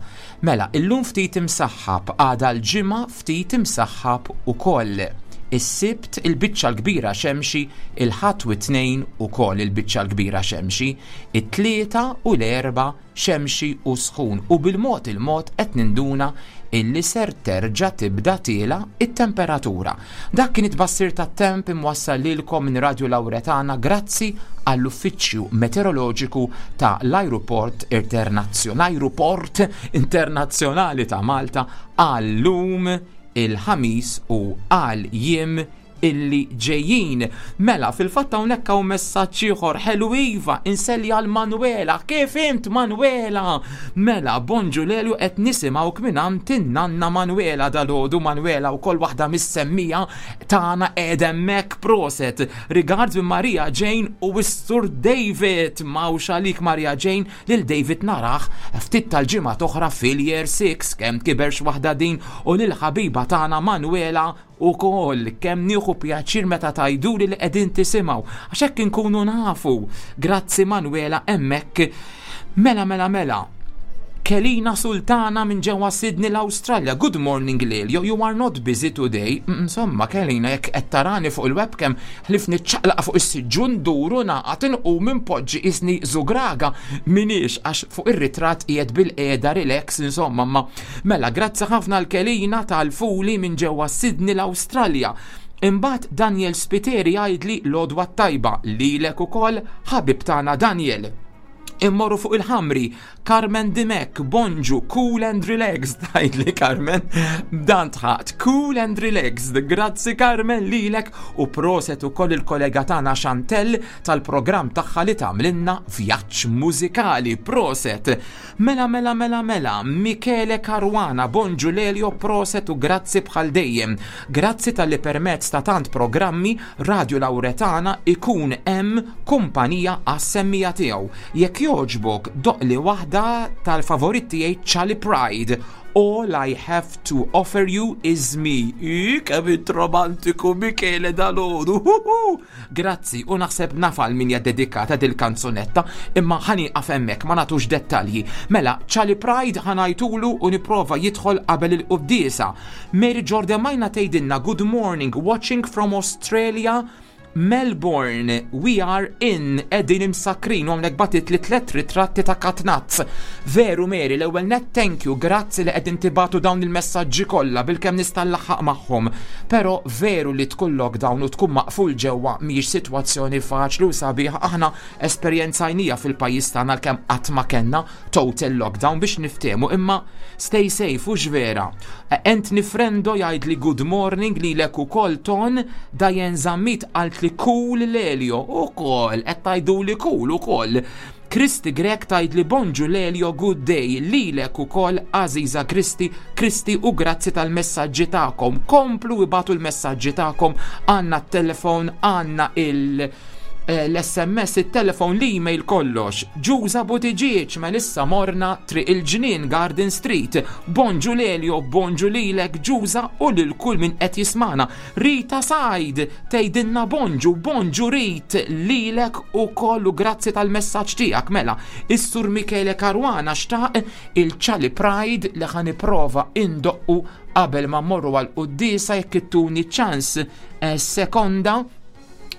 Mela, illum ftit imsaħħab, għada l-Ġimgħa ftit imsaħħab ukoll. Is-Sibt il-biċċa l-kbira xemxi, il-Ħadd u t-Tnejn ukoll il-biċċa l-kbira xemxi, it-Tlieta u l-Erbgħa xemxi u sħun u bil-mod il-mod qed ninduna illi ser terġa' tibda tiela it-temperatura. Dak kien it-tbassir tat-temp imwassal lilkom minn Radio Lauretana grazzi għall-Uffiċċju Meteoroloġiku ta' l-Ajruport Internazzjonali Ajruport Internazzjonali ta' Malta għal-lum il-Ħamis u għal jiem illi ġejjin. Mela, fil-fatt hawnhekk hawn messaġġ ieħor ħelu iva, inselli għal Manuela. Kif int, Manuela? Mela, bonġu Lelju, qed nisimgħuk minn għand in-nanna Manuela dalgħodu. Manuela wkoll waħda mis-semmiegħa tagħna qiegħda hemmhekk, proset. Regards minn Maria Jane u s-Sur David. Mawx għalik, Maria Jane, lil David narah ftit tal-ġimgħa oħra fil-year six, kemm kiberx waħda din, u lil ħabiba tagħna Manuela ukoll. Kemm nieħu pjaċir meta tgħiduli li qegħdin tisimgħu għax hekk inkunu nafu. Grazzi Manuela hemmhekk. Mela, mela, mela. Kelina Sultana minn ġewwa Sydney, l-Awstralja. "Good morning Lelio, you are not busy today." Mm, Insomma, Kelina, jekk qed tarani fuq il-webcam, ħlif niċċaqlaq fuq is-siġġu nduru naqgħad inqum inpoġġi isni zugraga minix, għax fuq ir-ritratt qiegħed bil-qiegħda relax, insomma, ma mela grazzi ħafna l-Kelina tal-fuli minn ġewwa Sydney, l-Awstralja. Imbagħad Daniel Spiteri jgħidli l-għodwa tajba lilek ukoll, ħabib tagħna Daniel. Immorru fuq il-ħamri, Carmen Dimek, "Bonġu, cool and relaxed", tgħidli Carmen, dan tħat, cool and relaxed, grazzi Carmen lilek u proset ukoll il-kollega tagħna Chantel tal-programm tagħha li tagħmlilna vjaġġ mużikali, proset. Mela, mela, mela, mela, Michele Caruana, "Bonġu Lelio, proset u grazzi bħal dejjem. Grazzi talli permezz ta' tant programmi Radio Lauretana ikun hemm kumpanija għas-semmiegħa tiegħu. Jekk jogħġbok doqqli waħda tal-favorit tiegħi, Charlie Pride, 'All I Have to Offer You Is Me'." Kemm int romantiku, Michele, dalgħodu. Grazzi, u naħseb naf għal min hija dedikata dil-kanzunetta, imma ħa nieqaf hemmhekk, ma nagħtux dettalji. Mela, Charlie Pride ħa ngħidulu u nipprova jidħol qabel il-quddiesa. Mary Jordan Majna tgħidilna, "Good morning, watching from Australia." Melbourne, we are in, qegħdin imsakrin u hawnhekk bagħtitli tliet ritratti ta' katnazz. Veru Mary, l-ewwel net thank you, grazzi li qegħdin tibagħtu dawn il-messaġġi kollha bilkemm nista' nlaħħaq magħhom. Però veru li tkun lockdown u tkun maqful ġewwa mhijiex sitwazzjoni faċli u sabiħa aħna esperjenzajnieha fil-pajjiż tagħna għalkemm qatt ma kellna total lockdown biex niftehmu imma stay safe u vera. Anthony Frendo jgħid li good morning lilek ukoll Ton, Diane Zammit qalt li cool Lelio ukoll, qed tgħidu li cool ukoll. Kristi Grek tgħid li bonġu Lelio good day lilek ukoll Aziza Kristi, Kristi u grazzi tal-messaġġi tagħkom. Komplu ibagħtu l-messaġġi tagħkom għandna t-telefon, għandna il- eh, l-SMS, il-telefon, l-email kollox. Ġuża Buttigieg, Melissa Morna, Triq il-Ġnien, Garden Street. Bonġu Lelio, bonġu lilek Ġuża u lil kull min qed jismana. Rita Said, tgħidilna bonġu, bonġu Rit, lilek ukoll u grazzi tal-messaġġ tiegħek mela. Is-Sur Michele Caruana xtaq il-Charlie Pride li ħa nipprova indoqqu qabel ma mmorru għal quddiesa jekk ittuni ċans eh, sekonda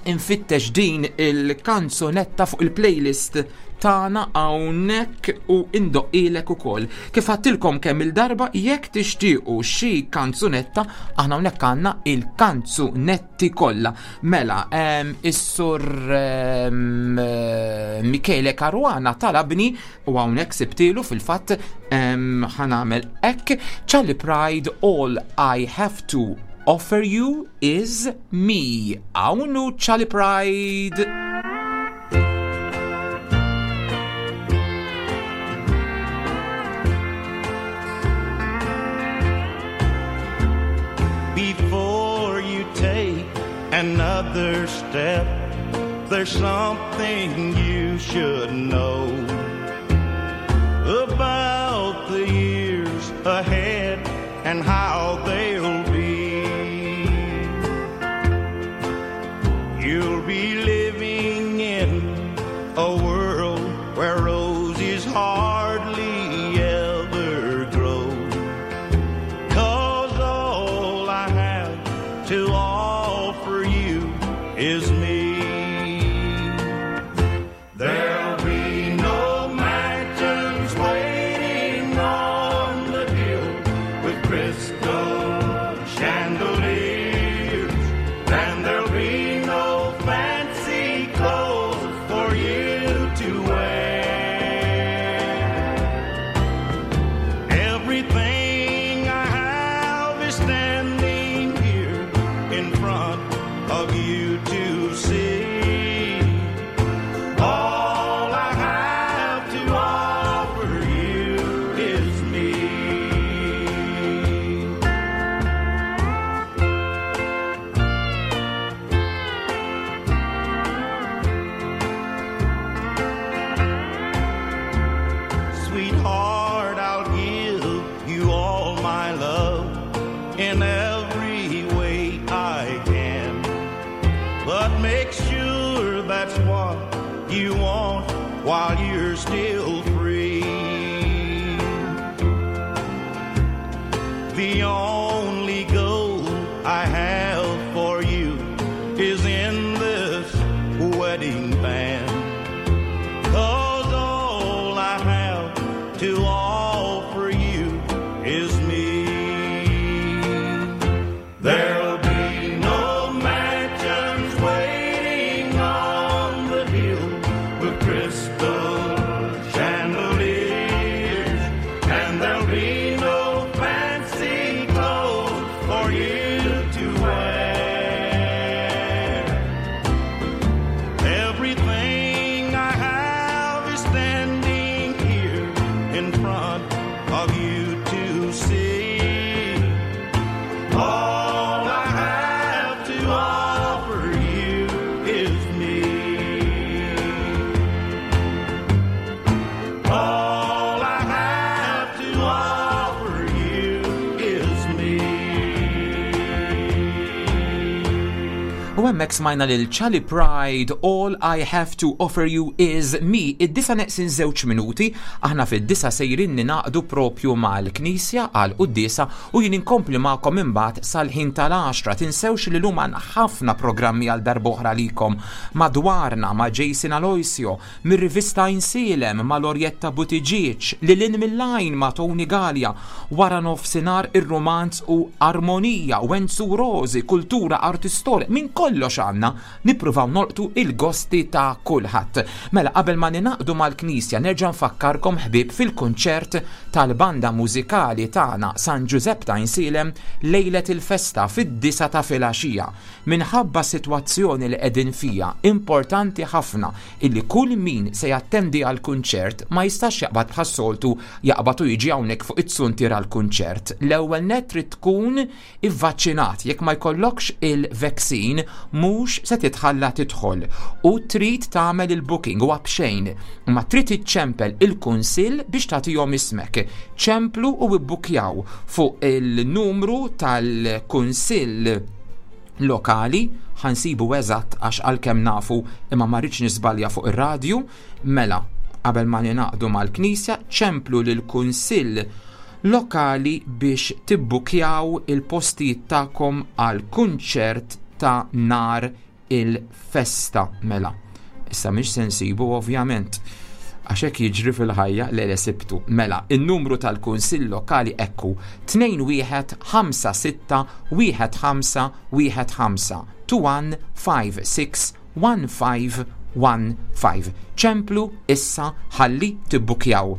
infittex din il-kanzunetta fuq il-playlist tagħna hawnhekk u indoqqilek ukoll. Kif għedtilkom kemm il-darba jekk tixtiequ xi kanzunetta aħna hawnhekk għandna il-kanzunetti kollha. Mela, em, is-sur em, eh, Michele Caruana talabni u hawnhekk sibtilu fil-fatt em, ħa nagħmel hekk Charlie Pride All I Have to Offer You Is Me. Hawn Charlie Pride. Before you take another step, there's something you should know about the years ahead and how they'll be. You'll be living in a world where roses hardly ever grow. Cause all I have to offer you is me. There'll be no mansions waiting on the hill with crystal chandeliers, and there'll be no fancy clothes for you to wear. Everything I have is standing here in front of you to see. All I have to offer you is me. Sweetheart, I'll give you all my love in every way I can. But make sure that's what you want while you're still free. The only goal I have for you is in this wedding band. Cause all I have to offer you is me. There'll be no mansions waiting on the hill with crystal chandeliers, and there'll be no fancy clothes for you to wear. Everything I have is standing here in front of you to see. All I have to offer you is me. All I have to offer you is me. U hemmhekk smajna lil Charlie Pride, All I Have to Offer You Is Me. Id-disa neqsin żewġ minuti, aħna fid-disa sejrin ninaqdu propju mal-Knisja għal quddiesa u jien inkompli magħkom imbagħad sal-ħin tal-għaxra. Tinsewx li lum għandna ħafna programmi għal darb'oħra likom madwarna ma' Jason Aloisio, mir-rivista Insilem ma' Lorietta Buttigieg, lil hinn mill-għajn ma' Tony Gallia, wara nofsinhar ir-romanz u armonija, Wenzu Rosi, kultura, arti, storja, minn kollox għandna nippruvaw nolqtu il-gosti ta' kulħadd. Mela qabel ma ninaqdu mal-Knisja nerġa' nfakkarkom ħbieb fil-kunċert tal-banda mużikali tagħna San Ġużepp ta' Insilem lejlet il-festa fid-disa ta' filgħaxija. Minħabba sitwazzjoni li qegħdin fija, importanti ħafna illi kull min se jattendi għall-kunċert ma jistax jaqbad bħas-soltu jaqbad u jiġi hawnhekk fuq it-suntier għall-kunċert. L-ewwel nett trid tkun ivvaċċinat, jekk ma jkollokx il-vaccine mhux se titħalla tidħol u trid tagħmel il-booking huwa b'xejn, imma trid iċċempel il-kunsill biex tagħtihom ismek. Ċemplu u ibbukjaw fuq il-numru tal-kunsill lokali, ħansibu eżatt għax għalkemm nafu imma ma rridx nisbalja fuq ir-radju. Mela qabel ma ninaqdu mal-Knisja ċemplu lill-kunsill lokali biex tibbukjaw il-postijiet tagħkom għal kunċert ta' nar il-festa. Mela, issa mhix se nsibu ovvjament, għax hekk jiġri fil-ħajja li le sibtu. Mela, in-numru tal-Kunsill Lokali ekku tnejn wieħed ħamsa sitta wieħed ħamsa wieħed ħamsa, two one five six one five one five. Ċemplu issa ħalli tibbukjaw.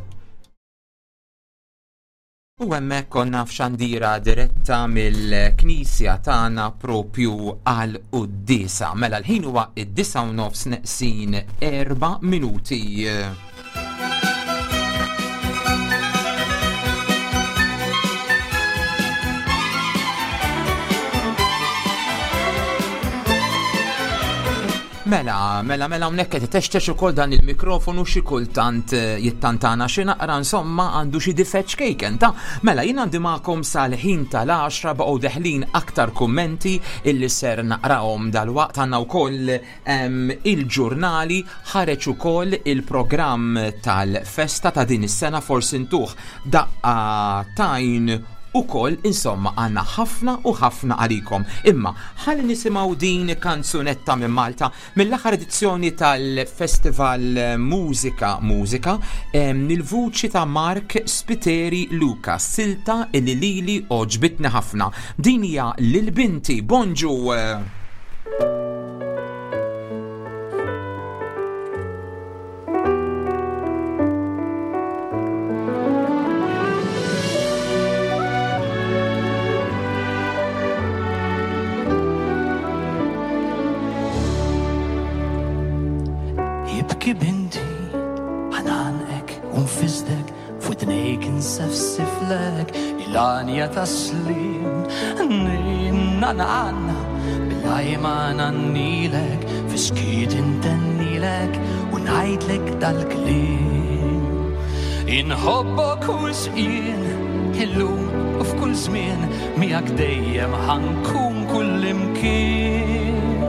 U hemmhekk konna f'xandira diretta mill-Knisja tagħna propju għal quddiesa. Mela l-ħin huwa id-disa u nofs neqsin erba' minuti. Mela, mela, mela, hawnhekk qed itextex ukoll dan il-mikrofonu xi kultant jittantana xi naqra, insomma għandu xi difett xkejken ta'. Mela jien għandi magħkom sal-ħin tal-għaxra baqgħu deħlin aktar kummenti illi ser naqrahom dalwaqt. Għandna wkoll il-ġurnali, ħareġ ukoll il-programm tal-festa ta' din is-sena, forsi ntuh daqqa tajn ukoll, insomma għandna ħafna u ħafna għalikom. Imma ħalli nisimgħu din kanzunetta minn Malta mill-aħħar edizzjoni tal-Festival Mużika Mużika, il-vuċi ta' Mark Spiteri Luca, silta illi lili oġbitni ħafna. Din hija lil binti. Bonġu. Jibki binti, ħananqek u nfisdek, f'widnejk insefsiflek, il-għanja taslim, ninna nanna, bil-għajma nannilek, fiskiet intennilek, u ngħidlek dal-kliem. Inħobbok u sqien, illum u f'kull żmien, miegħek dejjem ħankun kull imkien.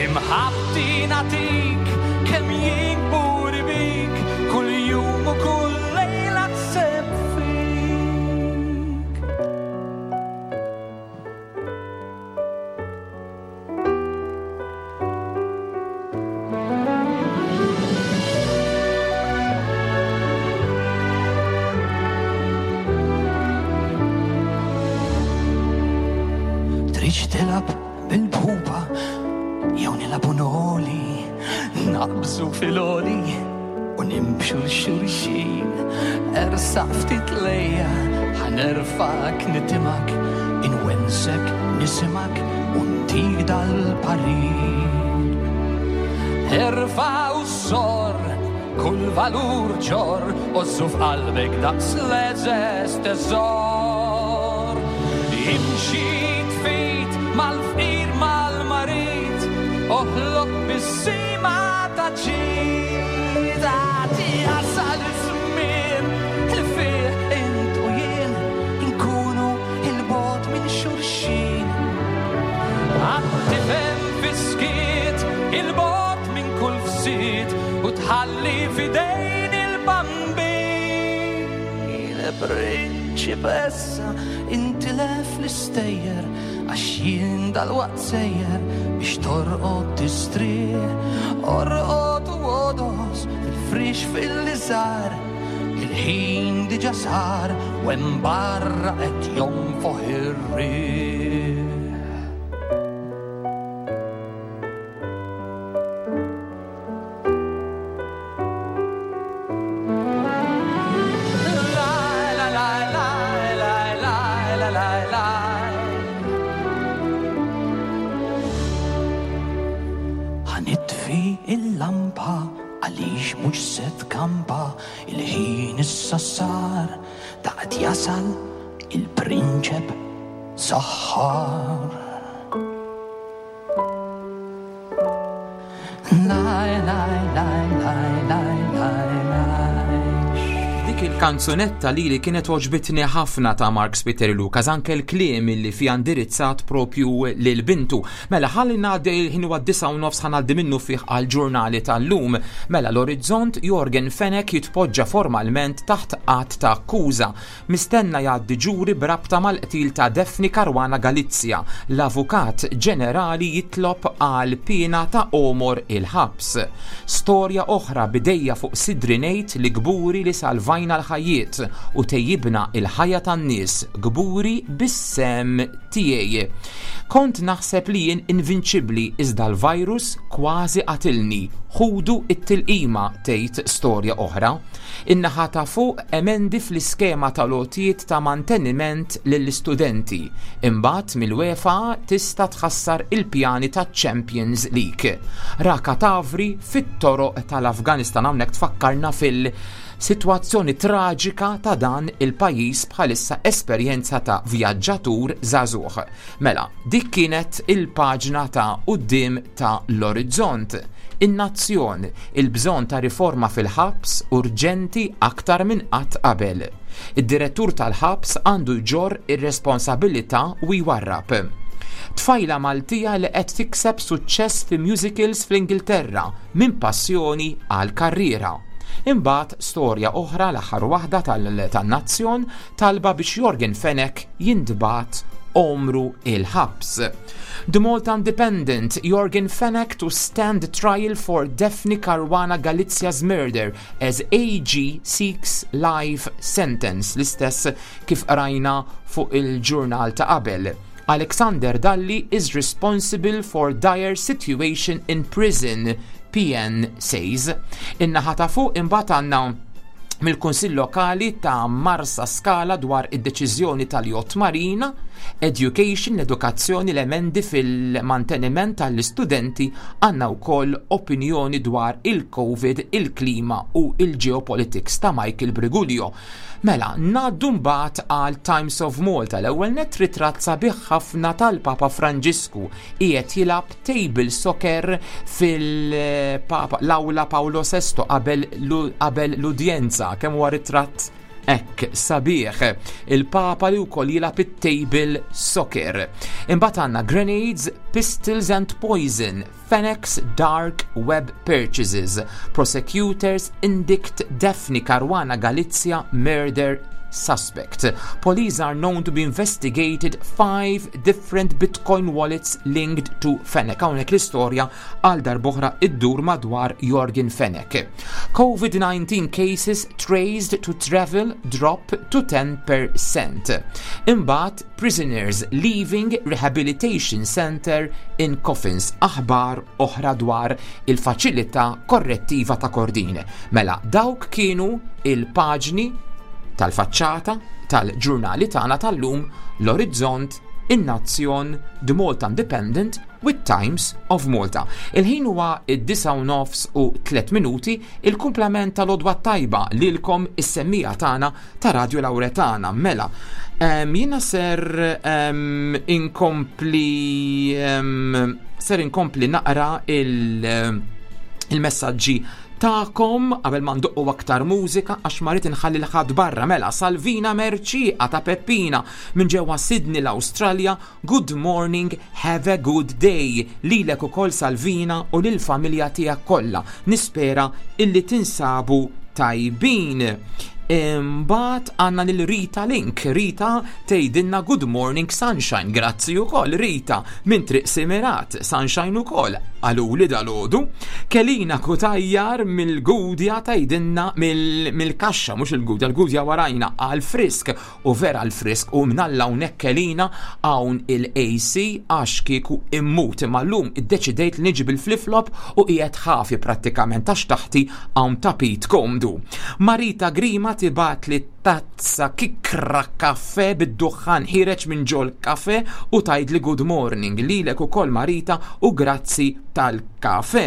Imħabti nagħtik kemm jien kburi bik, kull jum u kull lejla tseb fik. Tridx tilgħab bil-pupa jew nilagħbu noli, naqbżu fil-oli u nimxu l-xulxin. Ersaq ftit lejja, ħanerfak nitimak, inwensek nisimak u ntik dal-parir. Erfa' u sor, kull valur ġor, ożżu f'qalbek daqs l-eżes teżor. Imxi tfit mal-fqir mal-marid, oħloq bis-sima ta' ġid. Għati jasal iż-żmien li fih int u jien inkunu il-bogħod minn xulxin. Għad tifhem fisk Prinċipessa, intilef l-istejjer, għax jien dalwaqt sejjer biex torqod tistrieħ, orqod u għodos fil-frix fil-liżar, il-ħin diġà sar u hemm barra qed jonfoħ ir-riħ. La la la la la la la la. Ħa nitfi il-lampa għaliex mhux se tkampa, il-ħin issa sar daqt jasal il-prinċep saħħar. Laj, laj, laj, laj, laj, laj, laj. Dik il-kanzunetta li li kienet għoġbitni ħafna ta' Mark Spiteri Lucas, anke l-kliem li fija indirizzat propju lil bintu. Mela ħalli ngħaddi, il-ħin huwa disgħa u nofs, ħa ngħaddi minnu fih għal-ġurnali tal-lum. Mela l-Orizzont, Yorgen Fenech jitpoġġa formalment taħt att ta' akkuża. Mistenna jgħaddi ġuri b'rabta mal-qtil ta' Daphne Caruana Galizia. L-Avukat Ġenerali jitlob għal piena ta' għomor il-ħabs. Storja oħra, b'idejja fuq sidri ngħid li kburi li salvajna l-ħajjiet u tejjibna il-ħajja tan-nies, kburi bis-sehem tiegħi. Kont naħseb li jien invinċibli iżda l-virus kważi qatilni. Ħudu it-tilqima, tgħid storja oħra. In-naħa ta' fuq, emendi fl-iskema tal-għotjiet ta' manteniment lill-istudenti. Imbagħad mill-UEFA tista' tħassar il-pjani ta' Champions League. Ra katavri fit-toroq tal-Afganistan, hawnhekk tfakkarna fil- Situazzjoni traġika ta' dan il-pajjiż bħalissa, esperjenza ta' vjaġġatur żagħżugħ. Mela, dik kienet il-paġna ta' quddiem ta' l-Orizzont. In-Nazzjon, il-bżonn ta' riforma fil-ħabs urġenti aktar minn qatt qabel. Id-direttur tal-ħabs għandu jġorr ir-responsabilità u jwarrab. Tfajla Maltija li qed tikseb suċċess fi musicals fl-Ingilterra, minn passjoni għal karriera. Imbagħad storja oħra, l-aħħar waħda tan-Nazzjon, talba biex Yorgen Fenech jintbagħat għomru il-ħabs. The Malta Independent, Yorgen Fenech to stand trial for Daphne Caruana Galizia's murder as A G seeks life sentence, l-istess kif rajna fuq il-ġurnal ta' qabel. Alexander Dalli is responsible for dire situation in prison, P N says. In-naħa ta' fuq imbagħad għandna mill-Kunsill Lokali ta' Marsa Skala dwar id-deċiżjoni tal-Yacht Marina, Education, l-edukazzjoni, l-emendi fil-manteniment tal-istudenti, għandna wkoll opinjoni dwar il-Covid, il-klima u il-geopolitics ta' Michael Briguglio. Mela, ngħaddu mbagħad għal Times of Malta, l-ewwel net ritratt sabiħ ħafna tal-Papa Franġisku qiegħed jilgħab table soccer fil-Papa l-Awla Paolo Sesto qabel l-udjenza, kemm huwa ritratt hekk sabiħ. Il-Papa li wkoll jilgħab it-table soccer. Imbagħad għandna grenades, pistols and poison, Fenech's dark web purchases. Prosecutors indict Daphne Caruana Galizia murder suspect. Police are known to be investigated five different Bitcoin wallets linked to Fenech. Hawnhekk l-istorja għal darb'oħra iddur madwar Yorgen Fenech. COVID nineteen cases traced to travel drop to ten percent. Imbagħad prisoners leaving rehabilitation center in coffins. Aħbar oħra dwar il-faċilità korrettiva ta' Kordin. Mela, dawk kienu il-paġni tal-faċċata tal-ġurnali tagħna tal-lum, l-Orizzont, in-Nazzjon, The Malta Independent with Times of Malta. Il-ħin huwa id-disgħa u nofs u tliet minuti, il-kumplament tal-għodwa tajba lilkom is-semmiegħa tagħna ta' Radio Lauretana. Mela, um, jiena ser um, inkompli um, ser inkompli naqra il- il-messaġġi tagħkom qabel ma ndoqqu aktar mużika għax ma rrid inħalli 'l ħadd barra. Mela, Salvina Merċi ta' Peppina minn ġewwa Sydney, l-Awstralja, good morning, have a good day. Lilek ukoll, Salvina, u lill-familja tiegħek kollha. Nispera illi tinsabu tajbin. Imbagħad għandna lil Rita Link. Rita tgħidilna good morning sunshine. Grazzi ukoll Rita minn Triq Simirat. Sunshine ukoll qaluli dalgħodu. Kelina Kutajjar mill-Gudja tgħidilna mill-kaxxa, mhux il-Gudja, l-Gudja warajna għal frisk u vera għal frisk u mnalla hawnhekk Kelina hawn il-A C għax kieku immut, imma llum iddeċidejt li niġi bil-flip-flop u qiegħed ħafi prattikament għax taħti hawn tapit komdu. Marita Grima tibgħat li tazza kikra kafe bid-duħħan ħireġ minn ġol kafe u tgħid li good morning lilek ukoll, Marita, u grazzi tal-kafe.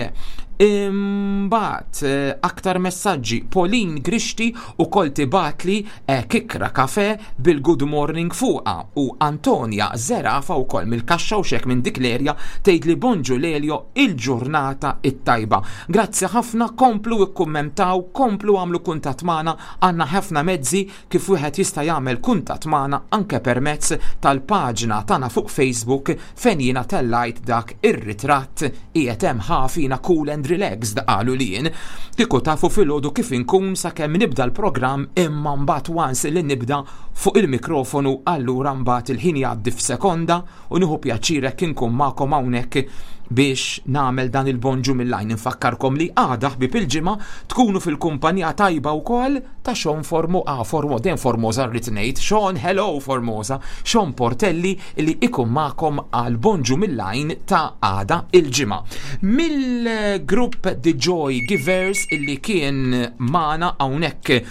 Imbagħad eh, aktar messaġġi. Pauline Grixti ukoll tibgħatli eh, kikra kafe bil-good morning fuqa u Antonia Zerafa ukoll mill-kaxxa u xek minn dik l-erja tgħid li bonġu Lelio, il-ġurnata it-tajba. Grazzi ħafna, komplu ikkummentaw, komplu għamlu kuntatt magħna, għandna ħafna mezzi kif wieħed jista' jagħmel kuntatt magħna, anke permezz tal-paġna tagħna fuq Facebook fejn jiena tellajt dak ir-ritratt qiegħed hemm ħafina cool and relaxed, qalu li jien. Kieku tafu filgħodu kif inkun sakemm nibda l-programm, imma mbagħad once li nibda fuq il-mikrofonu, allura mbagħad il-ħin jgħaddi f'sekonda u nieħu pjaċir hekk inkun magħkom hawnhekk biex nagħmel dan il-bonġu mill-lajn. Infakkarkom li għada, ħbib, il-ġimgħa tkunu fil-kumpanija tajba wkoll ta' Sean Formo, ah, Formo, den Formosa rrid ngħid, Sean, hello Formosa, Sean Portelli li ikun magħkom għal bonġu mill-lajn ta' għada il-ġimgħa. Mill-grupp The Joy Givers illi kien magħna hawnhekk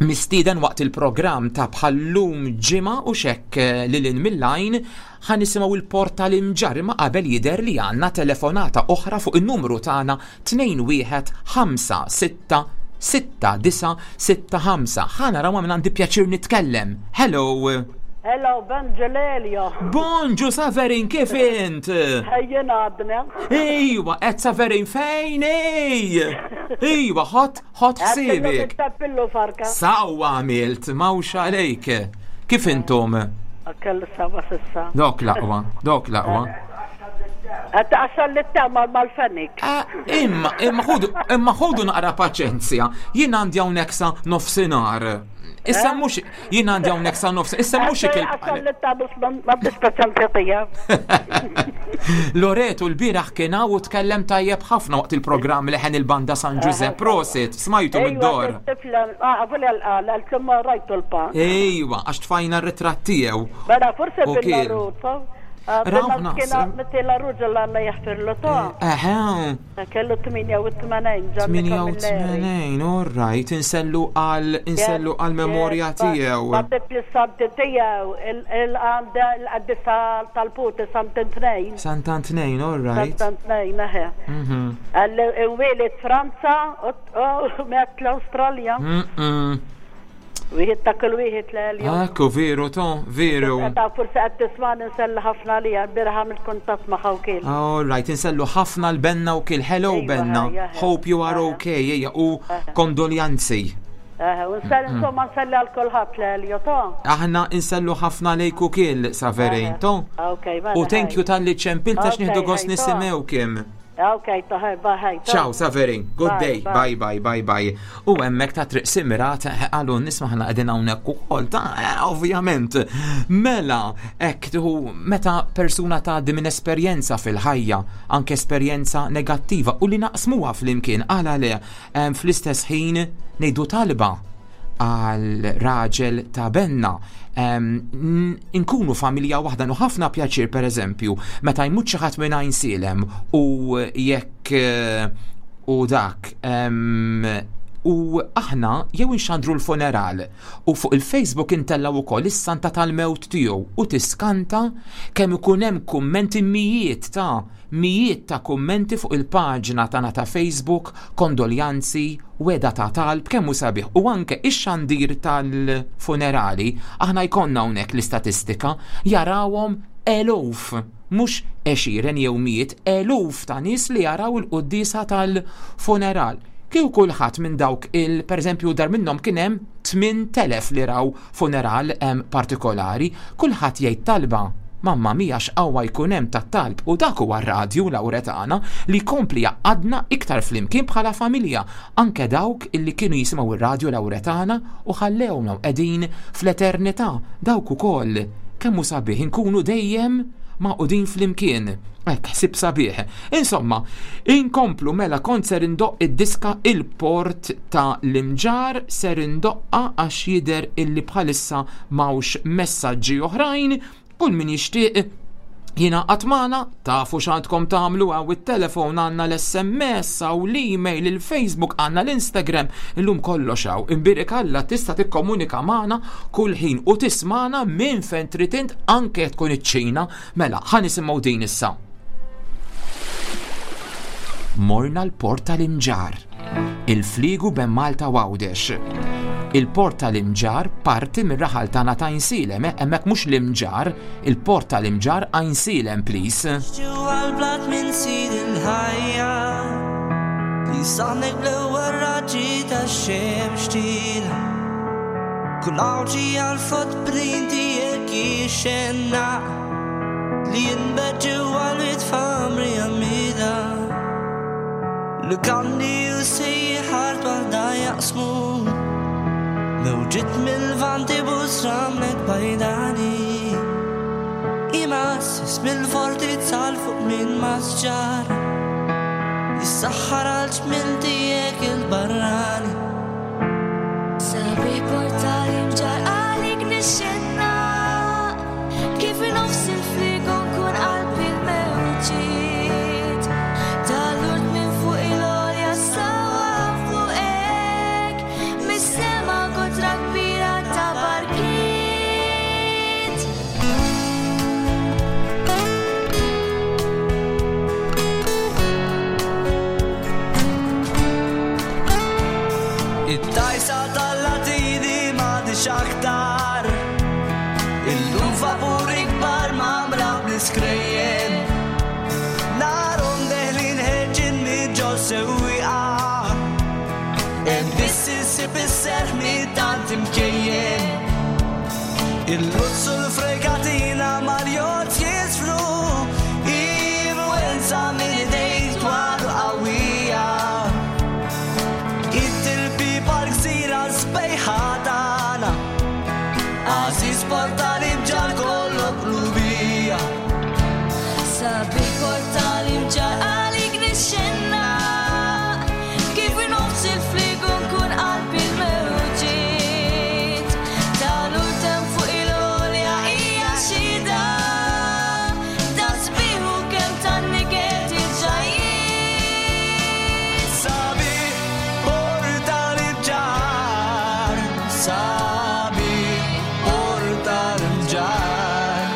mistieden waqt il-programm ta' bħallum ġimgħa u xek lil mill-lajn, ħa nisimgħu il-Porta l-Imġarr, imma qabel jidher li għandna telefonata oħra fuq il-numru tagħna tnejn wieħed ħamsa sitta sitta disa' sitta ħamsa. Ħa naraw min għandi pjaċir nitkellem. Hello. Hello, bonġu Lelio. Bonġu Saverin, kif int? Ħajjin għadna. Ejwa, qed Saverin fejn ej? Ejwa, ħot ħot ħsiebek. Tappillu farka. Sawa għamilt, mawx għalejk. Kif intom? Kellu sawa sissa. Dok laqwa, dok laqwa. Għatta għaxan li t-tamal mal-fenik. Imma, imma ħudu, imma ħudu naqra paċenzja. Jien għandi hawnhekk sa nofsinhar. Issa mhux jien għandi hawnhekk sa nofs, issa mhux Għaxan ikil. li t-tamal ma bispeċan tija. Loreto l-bieraħ kien hawn u tkellem tajjeb ħafna waqt il-programm li ħen il-banda San Giuseppe. Prosit, smajtu mid-dor. Tifla, għavul għal-għal, għal-tum rajtu l-pa. Ejwa, għax tfajna r-ritratt tiegħu. Mela, forse U kien. bil-laruta. Raw naħseb. Meti la ruġa l-alla jaħfirlu ta' Eħe, kellu tmienja u tmenin Ġanni Camilleri. tmienja u tmenin, all right, insellu għal insellu għal memorja tiegħu. Għadet li s-santi tiegħu, il-għanda l-qaddisa tal-puti Sant'Antnejn. Sant'Antnejn, all right. Sant'Antnejn, eħe. Mhm. Għalli Franza u met l-Australja. Mm-mm. Wieħed ta' kull wieħed l-għalju. Ekku, veru, to, veru. Ta' forse qed tisma' nselli ħafna li bieraħ mill-kuntatt ma' ħawkil. All right, insellu ħafna l-Benna u kil. Hello, Ejwa, Benna. ejja, ejja. Hope you are okay. Ejja, u kondoljanzi. Eh, u nselli insomma nselli għal kulħadd l-għalju ta' Aħna insellu ħafna lejk u kil, Saverin, to. Ok, mela, U thank you talli ċempilt għax Ok, nieħdu gost ħej, to. nisimgħu kim. Ok, ta' ħaj, bye, ta' Ciao, Saverin. Good Bye, day. Bye, bye, bye, bye. U hemmhekk ta' Triq Simirat, għalu nisma' ħana qegħdin hawnhekk ukoll ta' eh, ovvjament. Mela, hekk tuħu meta persuna tgħaddi minn esperjenza fil-ħajja, anke esperjenza negattiva u li naqsmuha flimkien, għala le, em, fl-istess ħin ngħidu talba għal raġel ta' Benna. Em, n- Inkunu familja waħda nu ħafna pjaċir, per eżempju, meta jmut xi ħadd minn Għajnsielem u jekk eh, u dak em, u aħna jew inxandru l-funeral u fuq il-Facebook intellaw ukoll is-santa tal-mewt tiegħu u tiskanta kemm ikun hemm kummenti, mijiet ta' mijiet ta' kummenti fuq il-paġna tagħna ta' Facebook, kondoljanzi, weda ta' talb, kemm hu sabiħ. U anke ix-xandir tal-funerali, aħna jkollna hawnhekk l-istatistika, jarawhom eluf, mhux għexieren jew mijiet, eluf ta' nies li jaraw il-quddisa tal-funeral. Kieku kulħadd minn dawk il, per eżempju, dar minnhom kien hemm tmien elef li raw funeral em, partikolari, kulħadd jgħid talba. Mamma mia x'qawwa jkun hemm tat-talb u dak huwa r-radju Lawretana li jkompli jgħaqqadna iktar flimkien bħala familja, anke dawk illi kienu jisimgħu ir-radju Lawretana u ħallewna u qegħdin fl-eternità, dawk ukoll. Kemm hu sabiħ inkunu dejjem magħqudin flimkien. Hekk, ħsieb sabiħ. Insomma, inkomplu mela kont ser indoqq id-diska Il-Port ta' l-Imġarr, ser indoqqa għax jidher illi bħalissa m'hawnx messaġġi oħrajn. Kull min jixtieq jingħaqad magħna, tafu x'għandkom tagħmlu, hawn it-telefon, għandna l-S M S, hawn l-email, il-Facebook, għandna l-Instagram, illum kollox hawn. Imbierek Alla tista' tikkomunika magħna kull ħin u tismagħna minn fejn trid int, anke jekk tkun iċ-Ċina. Mela, ħa nisimgħu din issa. Morna l-Port tal-Imġarr, il-fliegu ben Malta u Għawdex. Il-Port tal-Imġarr parti mir-raħal tagħna ta' Għajnsielem, eh, hemmhekk mhux l-Imġarr, il-Port tal-Imġarr Għajnsielem, please. Ġewwa l-blat minn sid il-ħajja li saħnek bl-ewwel raġġi tax-xemx tila. Kull għawġi għall-footprint tiegħek jixxenna li jinbet ġewwa l-wit famri għamida. Lukandi u sejħar waħda jaqsmu mewġiet mill-vanti busramlek bajdani. Imassis mill-forti tal fuq minn masġar jissaħħar għal ġmil tiegħek il-barrani. Sabiħ portali mġar għalik nixxenna kif nofs il-frigo nkun qalbi l-mewġiet. Tal-urt minn fuq il-għolja sawa fuqek mis-sema kotra kbira ta' barkiet. It-tajsa tal-latini m'għadix aktar, illum vapuri kbar mamra bl-iskrejjen. Narhom deħlin ħerġin minn ġo sewwieqa, hemm biss insib is-serħ minn tant imkejjen. Il-luzzu l-fregatina mal-jott jisfru, influenza minn idejk dwar qawwija. It-tilbi pal-gżira sbejħa tagħna, għażiż portali mġarr kollok qlubija. Sabiħ portali mġarr għalik nixxenna kif nofs il-fliegu nkun qalbi l-mewġiet. Tal-urtem fuq il-għolja hija xhieda ta' sbieħ u kemm tan-niket il-ġajjiet. Sabiħ portali mġarr, sabiħ portali mġarr,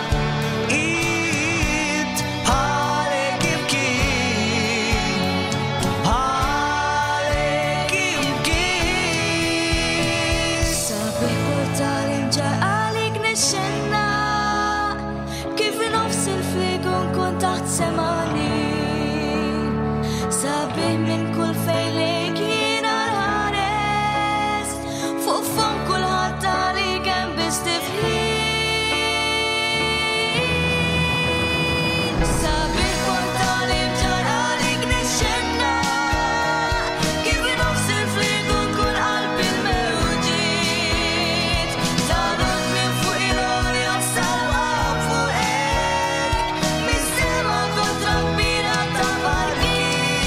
id bħalek imkien, bħalek imkien. Sabiħ portali mġarr għalik nixxenna kif nofs il-fliegu nkun taħt semani. Sabiħ minn kull fejn lejk jiena nħares, fuq fom kulħadd għalik hemm biss tifħir. Sabiħ portali mġarr għalik nixxenna kif nofs il-fliegu nkun qalbi l-mewġiet. Tal-urt minn fuq il-għolja sawa fuqek mis-sema kontra kbira ta' barkiet.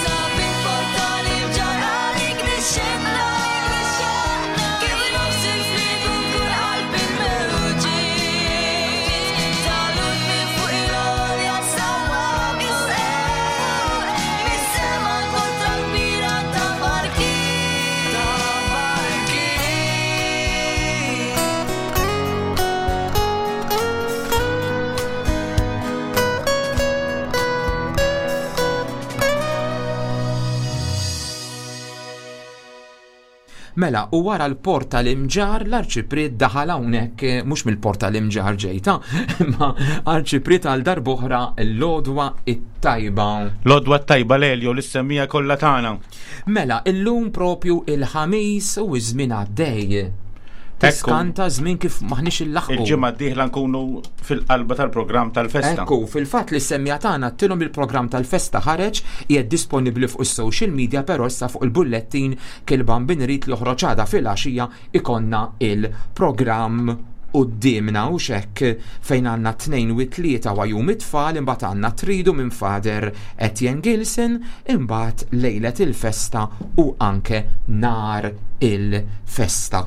Sabiħ portali mġarr għalik nixxenna kif nofs il-fliegu nkun qalbi l-mewġiet. Tal-urt minn fuq il-għolja sawa fuqek mis-sema kontra kbira ta' barkiet. Mela, u wara l-port tal-Imġarr, l-Arċipriet daħal hawnhekk, eh, mhux mill-port tal-Imġarr ġejta, imma Arċipriet għal darb'oħra l-għodwa it-tajba. L-għodwa t-tajba Lelio, l-issemmija kollha tagħna. Mela, illum propju il-ħamis u ż-żmien għaddej. Tiskanta żmien kif maħniex illaħqu. Il-ġimgħa d-dieħla nkunu fil-qalba tal-programm tal-festa. Ekku, fil-fatt li semmija tagħna tilhom il-programm tal-festa ħareġ, qiegħed disponibbli fuq is-social media, però issa fuq il-bullettin kil-Bambin irid li joħroġ għada fil-għaxija ikonna il-programm quddiemna u xekk fejn għandna tnejn u tlieta wa jum it-tfal, imbagħad għandna tridu minn Father Etienne Gilson, imbagħad lejlet il-festa u anke nar il-festa.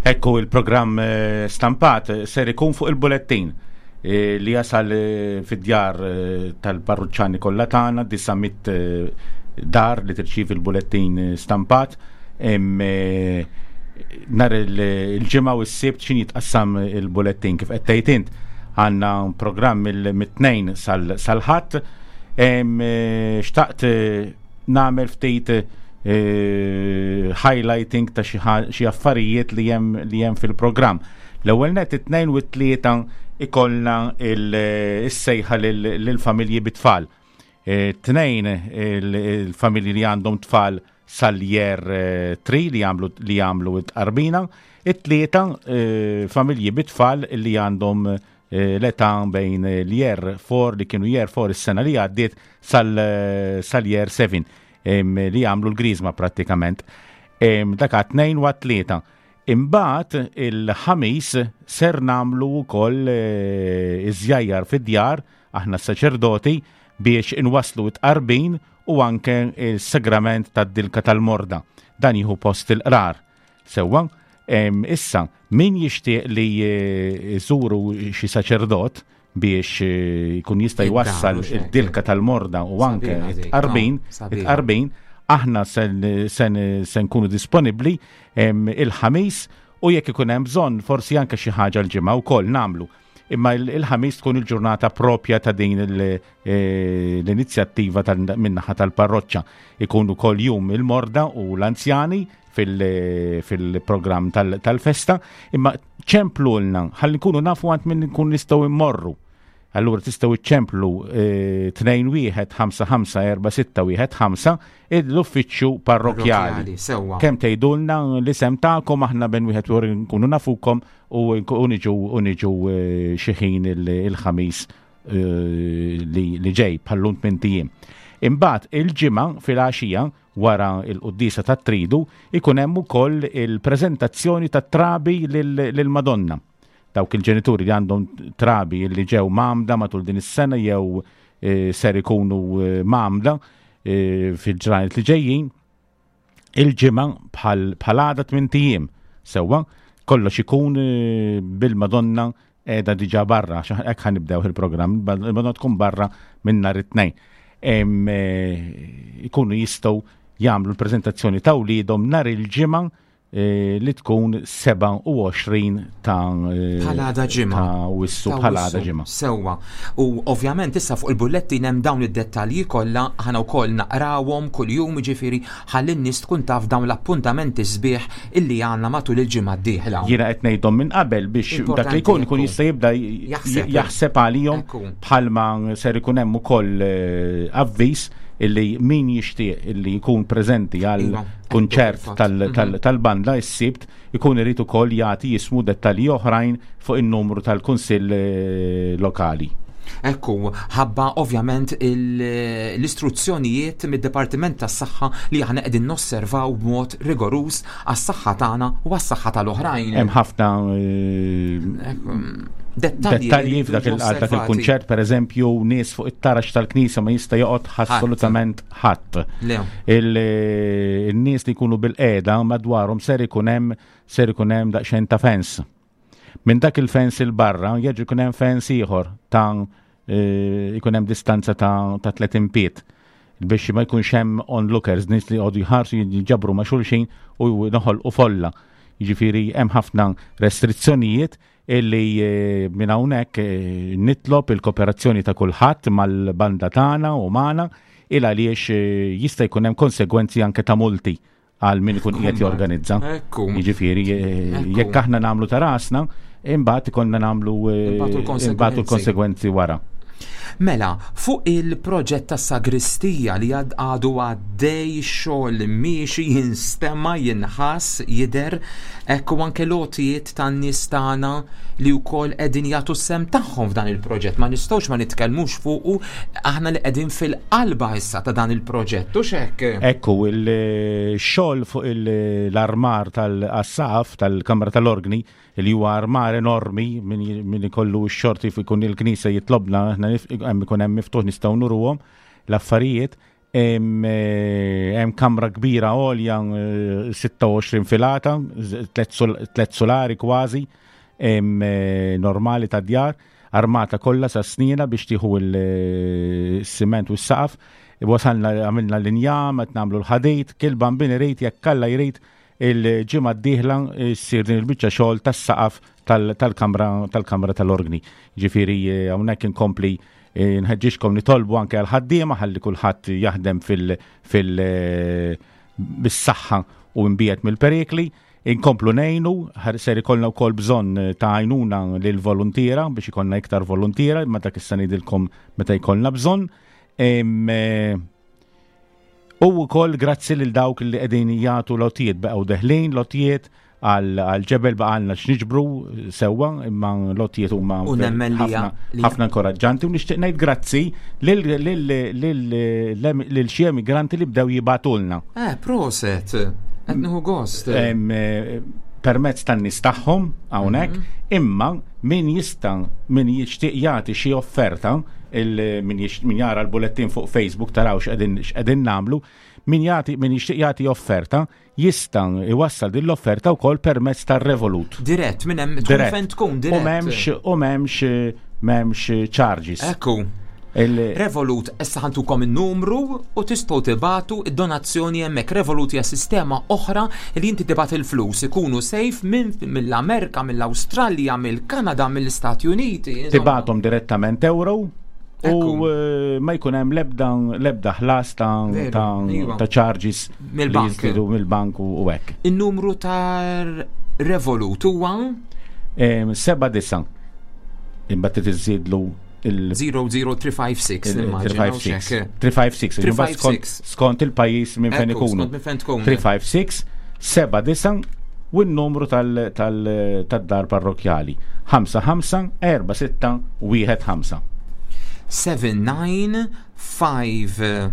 Ekku, il-programm eh, stampat ser ikun fuq il-bullettin eh, li jasal eh, fid-djar eh, tal-parruċċani kollha tagħna, disa' mitt eh, dar li tirċievi il-bullettin eh, stampat. Em, eh, Nar il- il-ġimgħa u s-sibt xin jitqassam il-bullettin kif qed tgħid int, għandna programm il- mit-tnejn sal- sal-ħadd. Em, eh, Xtaqt eh, nagħmel ftit eh, highlighting ta' xi ħa- xi affarijiet li hemm li hemm fil-programm. L-ewwel net, it-tnejn u t-tlieta ikollna il-sejħa lill-familji bit-tfal. Eh, Tnejn il- il-familji li għandhom tfal sal-year eh, three li jagħmlu li jagħmlu t-tqarbina, it-tlieta eh, familji bit-tfal li għandhom eh, l-età bejn l-year four, li kienu year four is-sena li għaddiet, sal- sal-year seven em, li jagħmlu l-griżma prattikament. Em, Dak għat-tnejn u għat-tlieta. Imbagħad il-ħamis ser nagħmlu wkoll eh, iż-żjajjar fid-djar aħna s-saċerdoti biex inwaslu t-tqarbin u anke il-sagrament tad-dilka tal-morda. Dan jieħu post il-qrar. Sewwa, em, issa, min jixtieq li eh, jżuru xi saċerdot biex eh, jkun jista' jwassal Id-dar, u id-dilka tal-morda u anke Sabiħa dik, it-tqarbin, no, sabiħa. it-tqarbin, aħna sen, sen, sen nkunu disponibbli em, il-ħamis u jekk ikun hemm bżonn forsi anke xi ħaġa l-ġimgħa wkoll nagħmlu. Imma il- il-ħamis tkun il-ġurnata propja ta' din il- eh, l-inizjattiva tal- min-naħa tal-parroċċa. Ikun ukoll jum il-morda u l-anzjani fil- fil-programm tal- tal-festa, imma ċemplulna ħalli nkunu nafu għand min nkun nistgħu immorru. Allura tistgħu iċċemplu tnejn wieħed ħamsa ħamsa erba' sitta wieħed ħamsa, l-uffiċċju parrokkjali. Parrokkjali, sewwa. Kemm tgħidulna l-isem tagħkom, aħna ben wieħed u nkunu nafukom u u niġu u niġu eh, xi ħin il- il-ħamis eh, li li ġej bħallum tmien ijiem. Imbagħad il-ġimgħa fil-għaxija wara il-quddiesa tat-tridu ikun hemm ukoll il-preżentazzjoni tat-trabi lil- lill-Madonna. Dawk il-ġenituri li għandhom trabi li ġew mgħammda matul din is-sena jew eh, ser ikunu eh, mgħammda eh, fil-ġranet li ġejjin, il-ġimgħa bħal bħal għada tmien ijiem. Sewwa, kollox ikun eh, bil-Madonna qiegħda diġà barra, għax hekk ħa nibdew il-programm, il-Madonna tkun barra minn nhar it-tnejn. Em, eh, Ikunu jistgħu jagħmlu l-preżentazzjoni ta' wliedhom nhar il-ġimgħa eh, li tkun sebgħa u għoxrin ta' eh, Bħala għada ġimgħa. Ta' Awwissu, Ta' bħala għada Awwissu. ġimgħa. Sewwa. U ovvjament issa fuq il-bullettin hemm dawn id-dettalji kollha, aħna wkoll naqrawhom kuljum, jiġifieri ħalli n-nies tkun taf dawn l-appuntamenti sbieħ illi għandna matul il-ġimgħa d-dieħla. Jiena qed ngħidhom minn qabel biex dak li jkun ikun Importanti, jista' jibda j- Jaħseb. jaħseb għalihom, Ekku. bħalma ser ikun hemm ukoll eh, avviż illi min jixtieq illi jkun preżenti għal Iva, kunċert ekku, tal- fil-fatt. tal- tal-banda s-sibt ikun irid ukoll jagħti jismu, dettalji oħrajn fuq in-numru tal-kunsill eh, lokali. Ekku, ħabba ovvjament il- l-istruzzjonijiet mid-Dipartiment tas-Saħħa li aħna qegħdin nosservaw b'mod rigoruż għas-saħħa tagħna u għas-saħħa tal-oħrajn. Hemm ħafna eh, Ekku, dettalji dettalji li f'dak il- jiġu għal dak osservati. il-kunċert, per eżempju, nies fuq it-taraġ tal-knisja ma jista' joqgħod assolutament ħadd. Le. Il- Il-nies li jkunu bil-qiegħda madwarhom ser ikun hemm ser ikun hemm daqsxejn ta' fence. Minn dak il-fence il barra jerġa' jkun hemm fence ieħor ta' eh, ikun hemm distanza ta' ta' tletin pied biex ma jkunx hemm onlookers, nies li jqogħdu jħarsu, jinġabru ma' xulxin u noħolqu folla. Jiġifieri hemm ħafna restrizzjonijiet illi eh, minn hawnhekk eh, nitlob il-kooperazzjoni ta' kulħadd mal-banda tagħna u magħna, il għaliex eh, jista' jkun hemm konsegwenzi anke ta' multi għal min ikun qiegħed jorganizza. Ekku. Jiġifieri eh, Ekku. jekk aħna nagħmlu ta' rasna, imbagħad ikollna nagħmlu eh, Imbagħtu l-konsegwenzi. imbagħtu l-konsegwenzi wara. Mela, fuq il-proġett ta' sagristija li għad għadu għaddej xogħol miexi jinstema jinħass jidher hekk u anke lotijiet tan-nies tagħna li wkoll qegħdin jagħtu s-sehem tagħhom f'dan il-proġett. Ma nistgħux ma nitkellmux fuqu aħna li qegħdin fil-qalba issa ta' dan il-proġett u x'hekk. Ekku, il-xogħol fuq l-armar tal-assaf tal-Kamra tal-Organi li huwa armar enormi min min ikollu x-xorti fi jkun il-knisja jitlobna, aħna nif- hemm ikun hemm miftuħ nistgħu nuruhom l-affarijiet. Hemm eh, hemm kamra kbira għolja eh, sitta u għoxrin filata, z- tlet sol- tlet solari kważi, hemm eh, normali ta' djar, armata kollha sa snina biex tieħu il-siment u s-saqaf. Wasalna għamilna l-injam, qed nagħmlu l-ħadid, kull Bambin irid jekk Alla jrid il-ġimgħa d-dieħla ssir din il-biċċa xogħol tas-saqaf tal- tal-kamra tal-kamra tal-organi. Ġifieri eh, hawnhekk inkompli eh, nħeġġixkom nitolbu anke għal-ħaddiema ħalli kulħadd jaħdem fil fil eh, bis-saħħa u mbiegħed mill-perikli. Inkomplu ngħinu, ħar- ser ikollna wkoll bżonn ta' għajnuna lil voluntiera biex ikollna iktar voluntiera, ma dak issa ngħidilkom meta jkollna bżonn. Em, eh, U wkoll grazzi lil dawk li qegħdin jagħtu lotijiet baqgħu deħlin lotijiet għal għal ġebel baqgħalna x'niġbru sewwa imma lotijiet huma U nemmen li ħafna li- ħafna inkoraġġanti u nixtieq ngħid grazzi lil lil lil lil xi emigranti li bdew jibagħtulna. Eh, proset. Qed nieħu gost. Em, eh, permezz tan-nies tagħhom hawnhekk, imma min jista' min jixtieq jagħti xi offerta, il- min jix- min jara l-bullettin fuq Facebook taraw x'qegħdin x'qegħdin nagħmlu, min jagħti min jixtieq jagħti offerta jista' iwassal din l-offerta wkoll permezz tar-Revolut. Dirett, minn hemm tkun Dirett. fejn tkun U dirett. m'hemmx u m'hemmx m'hemmx charges. Ekku. Il- Revolut, issa ħa ntukom il-numru u tistgħu tibagħtu id-donazzjoni hemmhekk. Revolut hija sistema oħra li inti tibgħat il-flus ikunu safe minn mill-Amerika, mill-Awstralja, mill-Kanada, mill-Istati Uniti. Insomma. Tibgħathom direttament euro u eh, ma jkun hemm lebda lebda ħlas ta' Veru, ta' iva. ta' charges li Mill-bank. jiżdiedu mill-bank u u hekk. Il-numru ta' Revolut huwa Em, Seba disa. Imbagħad tiżidlu il zero zero three five six nimmaġina, u three five six. xek. three five six. Imbagħad skont- three five six. Skont il-pajjiż minn fejn Ekku, ikunu. skont minn fejn tkun. three five six seba disa u n-numru tal- tal- tad-dar parrokjali. ħamsa ħamsa erba' sitta wieħed ħamsa. seven nine five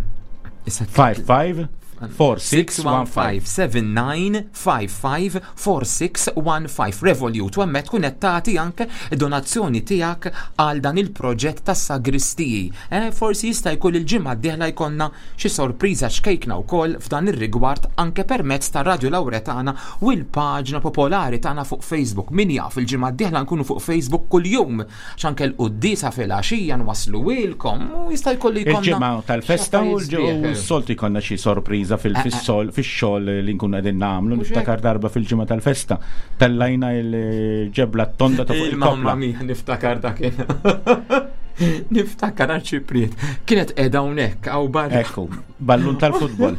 five five four six one five. seven nine five five four six one five Revolut u hemmhekk tkun qed tagħti anke donazzjoni tiegħek għal dan il-proġett tas-sagristiji. Eh, forsi jista' jkun il-ġimgħa d-dieħla jkollna xi sorpriża xkejkna wkoll f'dan ir-rigward anke permezz ta' Radio Lauretana u l-paġna popolari tagħna fuq Facebook. Min jaf il-ġimgħa d-dieħla nkunu fuq Facebook kuljum għax anke l-quddiesa fil-għaxija nwasluhielkom u jista' jkollu jkollna Il-ġimgħa tal-festa u xi affarijiet sbieħ. s-soltu jkollna xi sorpriża fil- Eh, eh. fis-sol fix-xogħol li nkunu qegħdin nagħmlu. Mhux Niftakar darba fil-ġimgħa tal-festa tellajna il-ġebla t-tonda ta' fuq Il-mamma il-kopla. mia, niftakar dak. Niftakar arċipriet. Kienet qiegħda hawnhekk hawn barra. Ekku, ballun tal-futbol.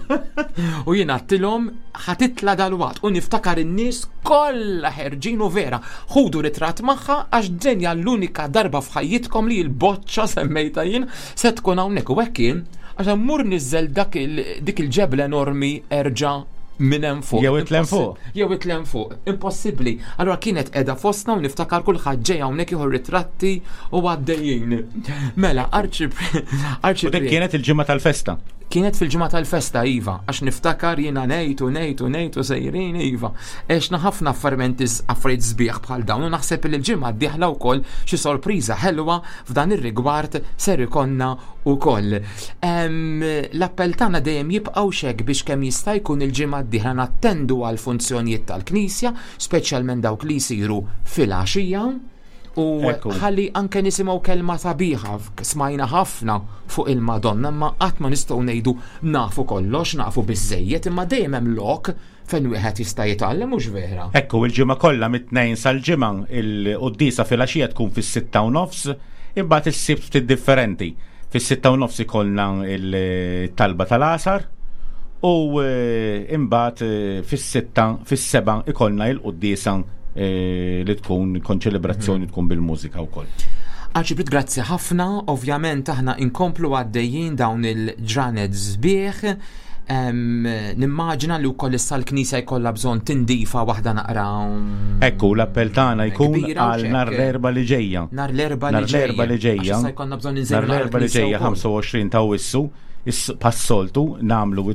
U jien għedtilhom ħa titla' dalwaqt u niftakar in-nies kollha ħerġin u vera. Ħudu ritratt magħha għax dinja l-unika darba f'ħajjitkom li l-boċċa semmejta jien se tkun hawnhekk u hekk kien għax mur niżel dak il- dik il-ġebla enormi erġa' minn hemm fuq. Jew itla' hemm fuq. Jew itla' hemm fuq. Impossibbli. Allora kienet qiegħda fostna u niftakar kulħadd ġej hawnhekk jieħu ritratti u għaddejjin. Mela, arċi U dik kienet il-ġimgħa tal-festa. Kienet fil-ġimgħa tal-festa iva, għax niftakar jiena ngħid u ngħid u ngħid u sejrin iva. Għexna ħafna affarimenti affarijiet sbieħ bħal dawn u naħseb li l-ġimgħa d-dieħla wkoll xi sorpriża ħelwa f'dan ir-rigward ser ikollna wkoll. Em, L-appell tagħna dejjem jibqgħu xek biex kemm jista' jkun il-ġimgħa d-dieħla nattendu għal funzjonijiet tal-Knisja, speċjalment dawk li jsiru fil-għaxija. U Ekku. ħalli anke nisimgħu kelma sabiħa, smajna ħafna fuq il-Madonna, ma qatt ma nistgħu ngħidu nafu kollox, nafu biżejjed, imma dejjem hemm lok fejn wieħed jista' jitgħallem mhux vera. Ekku, il-ġimgħa kollha mit-tnejn sal-ġimgħa il-quddiesa fil-għaxija tkun fis-sitta u nofs, imbagħad is-sibt ftit differenti. Fis-sitta u nofs ikollna il-talba tal-għasar u eh, imbagħad eh, fis-sitta fis-seba' ikollna il-quddiesa eh, li tkun konċelebrazzjoni tkun bil-mużika wkoll. Arċipriet, grazzi ħafna, ovvjament aħna inkomplu għaddejjin dawn il-ġranet sbieħ. Em, Nimmaġina li wkoll issa l-knisja jkollha bżonn tindifa waħda naqra. Ekku, l-appell tagħna jkun Kbira u għal xek. nhar l-Erbgħa li ġejja. Nhar l-Erbgħa li Nhar l-Erbgħa li ġejja. ġejja. Għax issa jkollna bżonn inżejnu Nhar l-Erbgħa li l-knisja ġejja wkoll. ħamsa u għoxrin ta' Awwissu, bħas-soltu nagħmlu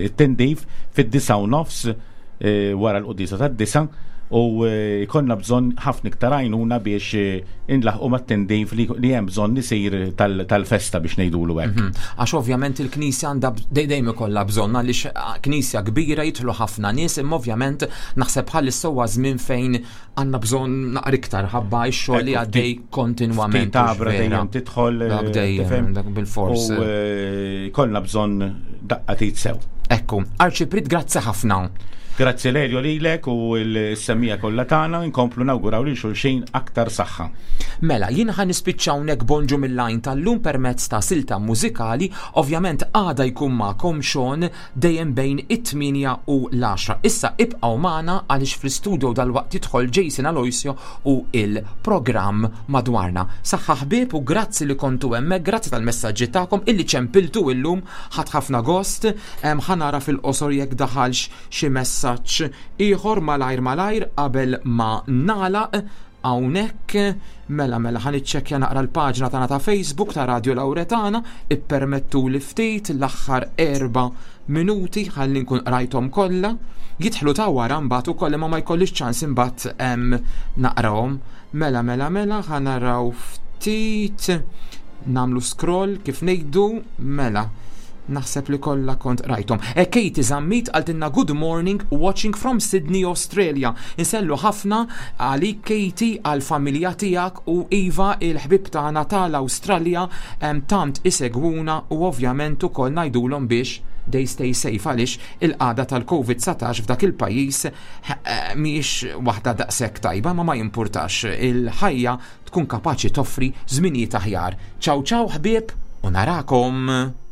it-tindif fid-disgħa u nofs eh, wara l-quddiesa tad-disgħa u eh, jkollna bżonn ħafna iktar għajnuna biex eh, inlaħqu mat-tindif li li hemm bżonn isir tal- tal-festa biex ngħidulu hekk. Mhm. Għax ovvjament il-knisja għandha b- dej- dejjem ikollha bżonn għaliex ah, knisja kbira jidħlu ħafna nies, imma ovvjament naħseb bħalissa huwa żmien fejn għandna bżonn naqra iktar ħabba x-xogħol li Ekku, għaddej kontinwament. Ftit tabra hux vera? dejjem tidħol, eh, Dak dejjem, tifhem? dak bil-fors. U eh, jkollna bżonn daqqa t'id sew. Ekku, Arċipriet, grazzi ħafna. Grazzi Lelio lilek u l-semmiegħa kollha tagħna, nkomplu nawguraw lil xulxin aktar saħħa. Mela, jien ħa nispiċċa hawnhekk Bonġu mill-Għajn tal-lum permezz ta' silta mużikali, ovvjament għada jkun magħkom Sean dejjem bejn it-tmienja u l-għaxra. Issa ibqgħu magħna għaliex fl-istudio dal-waqt jidħol Jason Aloisio u il-programm Madwarna. Saħħa ħbieb u grazzi li kontu hemmhekk, grazzi tal-messaġġi tagħkom illi ċempiltu illum, ħadt ħafna gost, em, ħa nara fil-qosor jekk daħalx xi messaġġ ieħor malajr malajr qabel ma nagħlaq hawnhekk. Mela, mela, ħa niċċekkja naqra l-paġna tagħna ta' Facebook ta' Radio Lauretana, ippermettu li ftit l-aħħar erba' minuti ħalli nkun qrajthom kollha. Jidħlu ta' wara mbagħad ukoll imma ma jkollix ċans imbagħad em, naqrahom. Mela, mela, mela, ħa naraw ftit, nagħmlu scroll kif ngħidu, mela. Naħseb li kollha kont rajthom. E Katie Zammit qaltilna "Good morning, watching from Sydney, Australia." Insellmu ħafna għalik Katie, għal-familja tiegħek u iva il-ħbib tagħna tal-Awstralja em, tant isegwuna u ovvjament ukoll ngħidulhom biex they stay safe għaliex il-qagħda tal-Covid dsatax f'dak il-pajjiż eh, mhijiex waħda daqshekk tajba, ma ma jimpurtax, il-ħajja tkun kapaċi toffri żminijiet aħjar. Ciao ciao ħbieb u narakom.